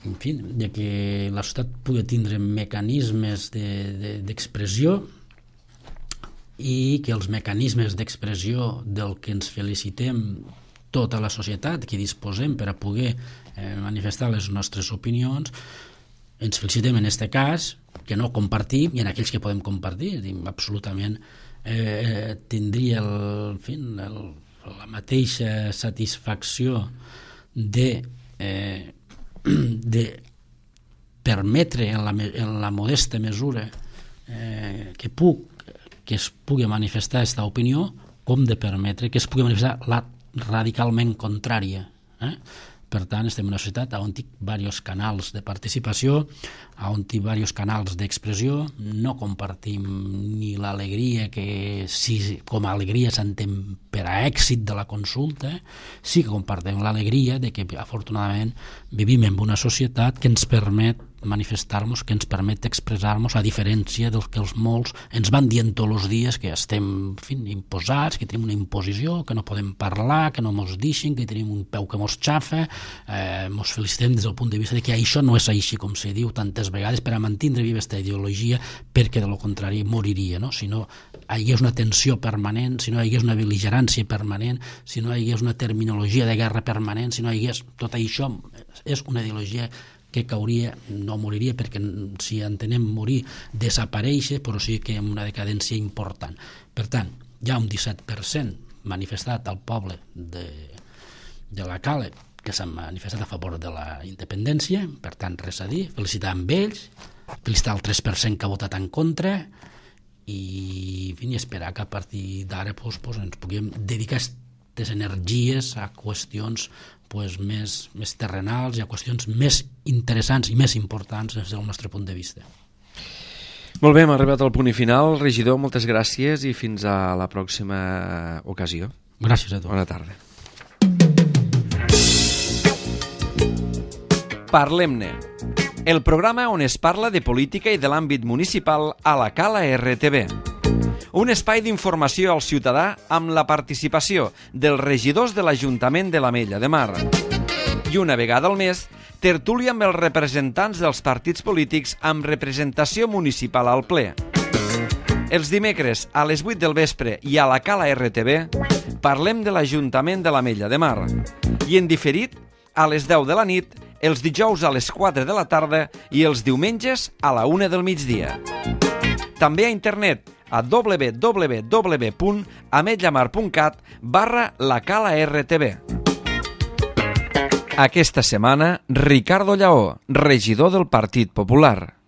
en fi, de que la societat pugui tindre mecanismes d'expressió de, de, i que els mecanismes d'expressió del que ens felicitem tota la societat, que disposem per a poder eh, manifestar les nostres opinions, ens felicitem en aquest cas, que no compartim, i en aquells que podem compartir, absolutament eh, tindria el, en fi, el, la mateixa satisfacció de eh, de permetre en la, en la modesta mesura eh, que, puc, que es pugui manifestar aquesta opinió, com de permetre que es pugui manifestar la radicalment contrària. Eh? Per tant, estem en una societat on hi ha diversos canals de participació, on hi ha diversos canals d'expressió, no compartim ni l'alegria que si com a alegria s'entén per a èxit de la consulta, sí que compartim l'alegria de que afortunadament vivim en una societat que ens permet manifestar-nos, que ens permet expressar-nos, a diferència del que els molts ens van dient tots els dies que estem en fi, imposats, que tenim una imposició, que no podem parlar, que no mos deixen, que tenim un peu que mos xafa, eh, mos felicitem des del punt de vista de que això no és així com se diu tantes vegades per a mantindre viva aquesta ideologia, perquè de lo contrari moriria, no? Si no hi hagués una tensió permanent, si no hi hagués una bel·ligerància permanent, si no hi hagués una terminologia de guerra permanent, si no hi hagués tot això, és una ideologia que cauria, no moriria, perquè si entenem morir, desaparèixer, però sí que amb una decadència important. Per tant, hi ha un disset per cent manifestat al poble de, de la Cala, que s'han manifestat a favor de la independència, per tant, res a dir, felicitar amb ells, felicitar el tres per cent que ha votat en contra, i, en fi, esperar que a partir d'ara pues, pues, ens puguem dedicar aquestes energies a qüestions pues, més, més terrenals i a qüestions més interessants i més importants des del nostre punt de vista. Molt bé, hem arribat al punt i final. Regidor, moltes gràcies i fins a la pròxima ocasió. Gràcies a tu. Bona tarda. Parlem-ne, el programa on es parla de política i de l'àmbit municipal a la Cala R T V. Un espai d'informació al ciutadà amb la participació dels regidors de l'Ajuntament de l'Ametlla de Mar. I una vegada al mes, tertúlia amb els representants dels partits polítics amb representació municipal al ple. Els dimecres a les vuit del vespre i a la Cala R T V parlem de l'Ajuntament de l'Ametlla de Mar. I en diferit, a les deu de la nit, els dijous a les quatre de la tarda i els diumenges a la una del migdia. També a internet a w w w punt ametlamar punt cat barra la Cala R T V. Aquesta setmana, Ricardo Lleó, regidor del Partit Popular.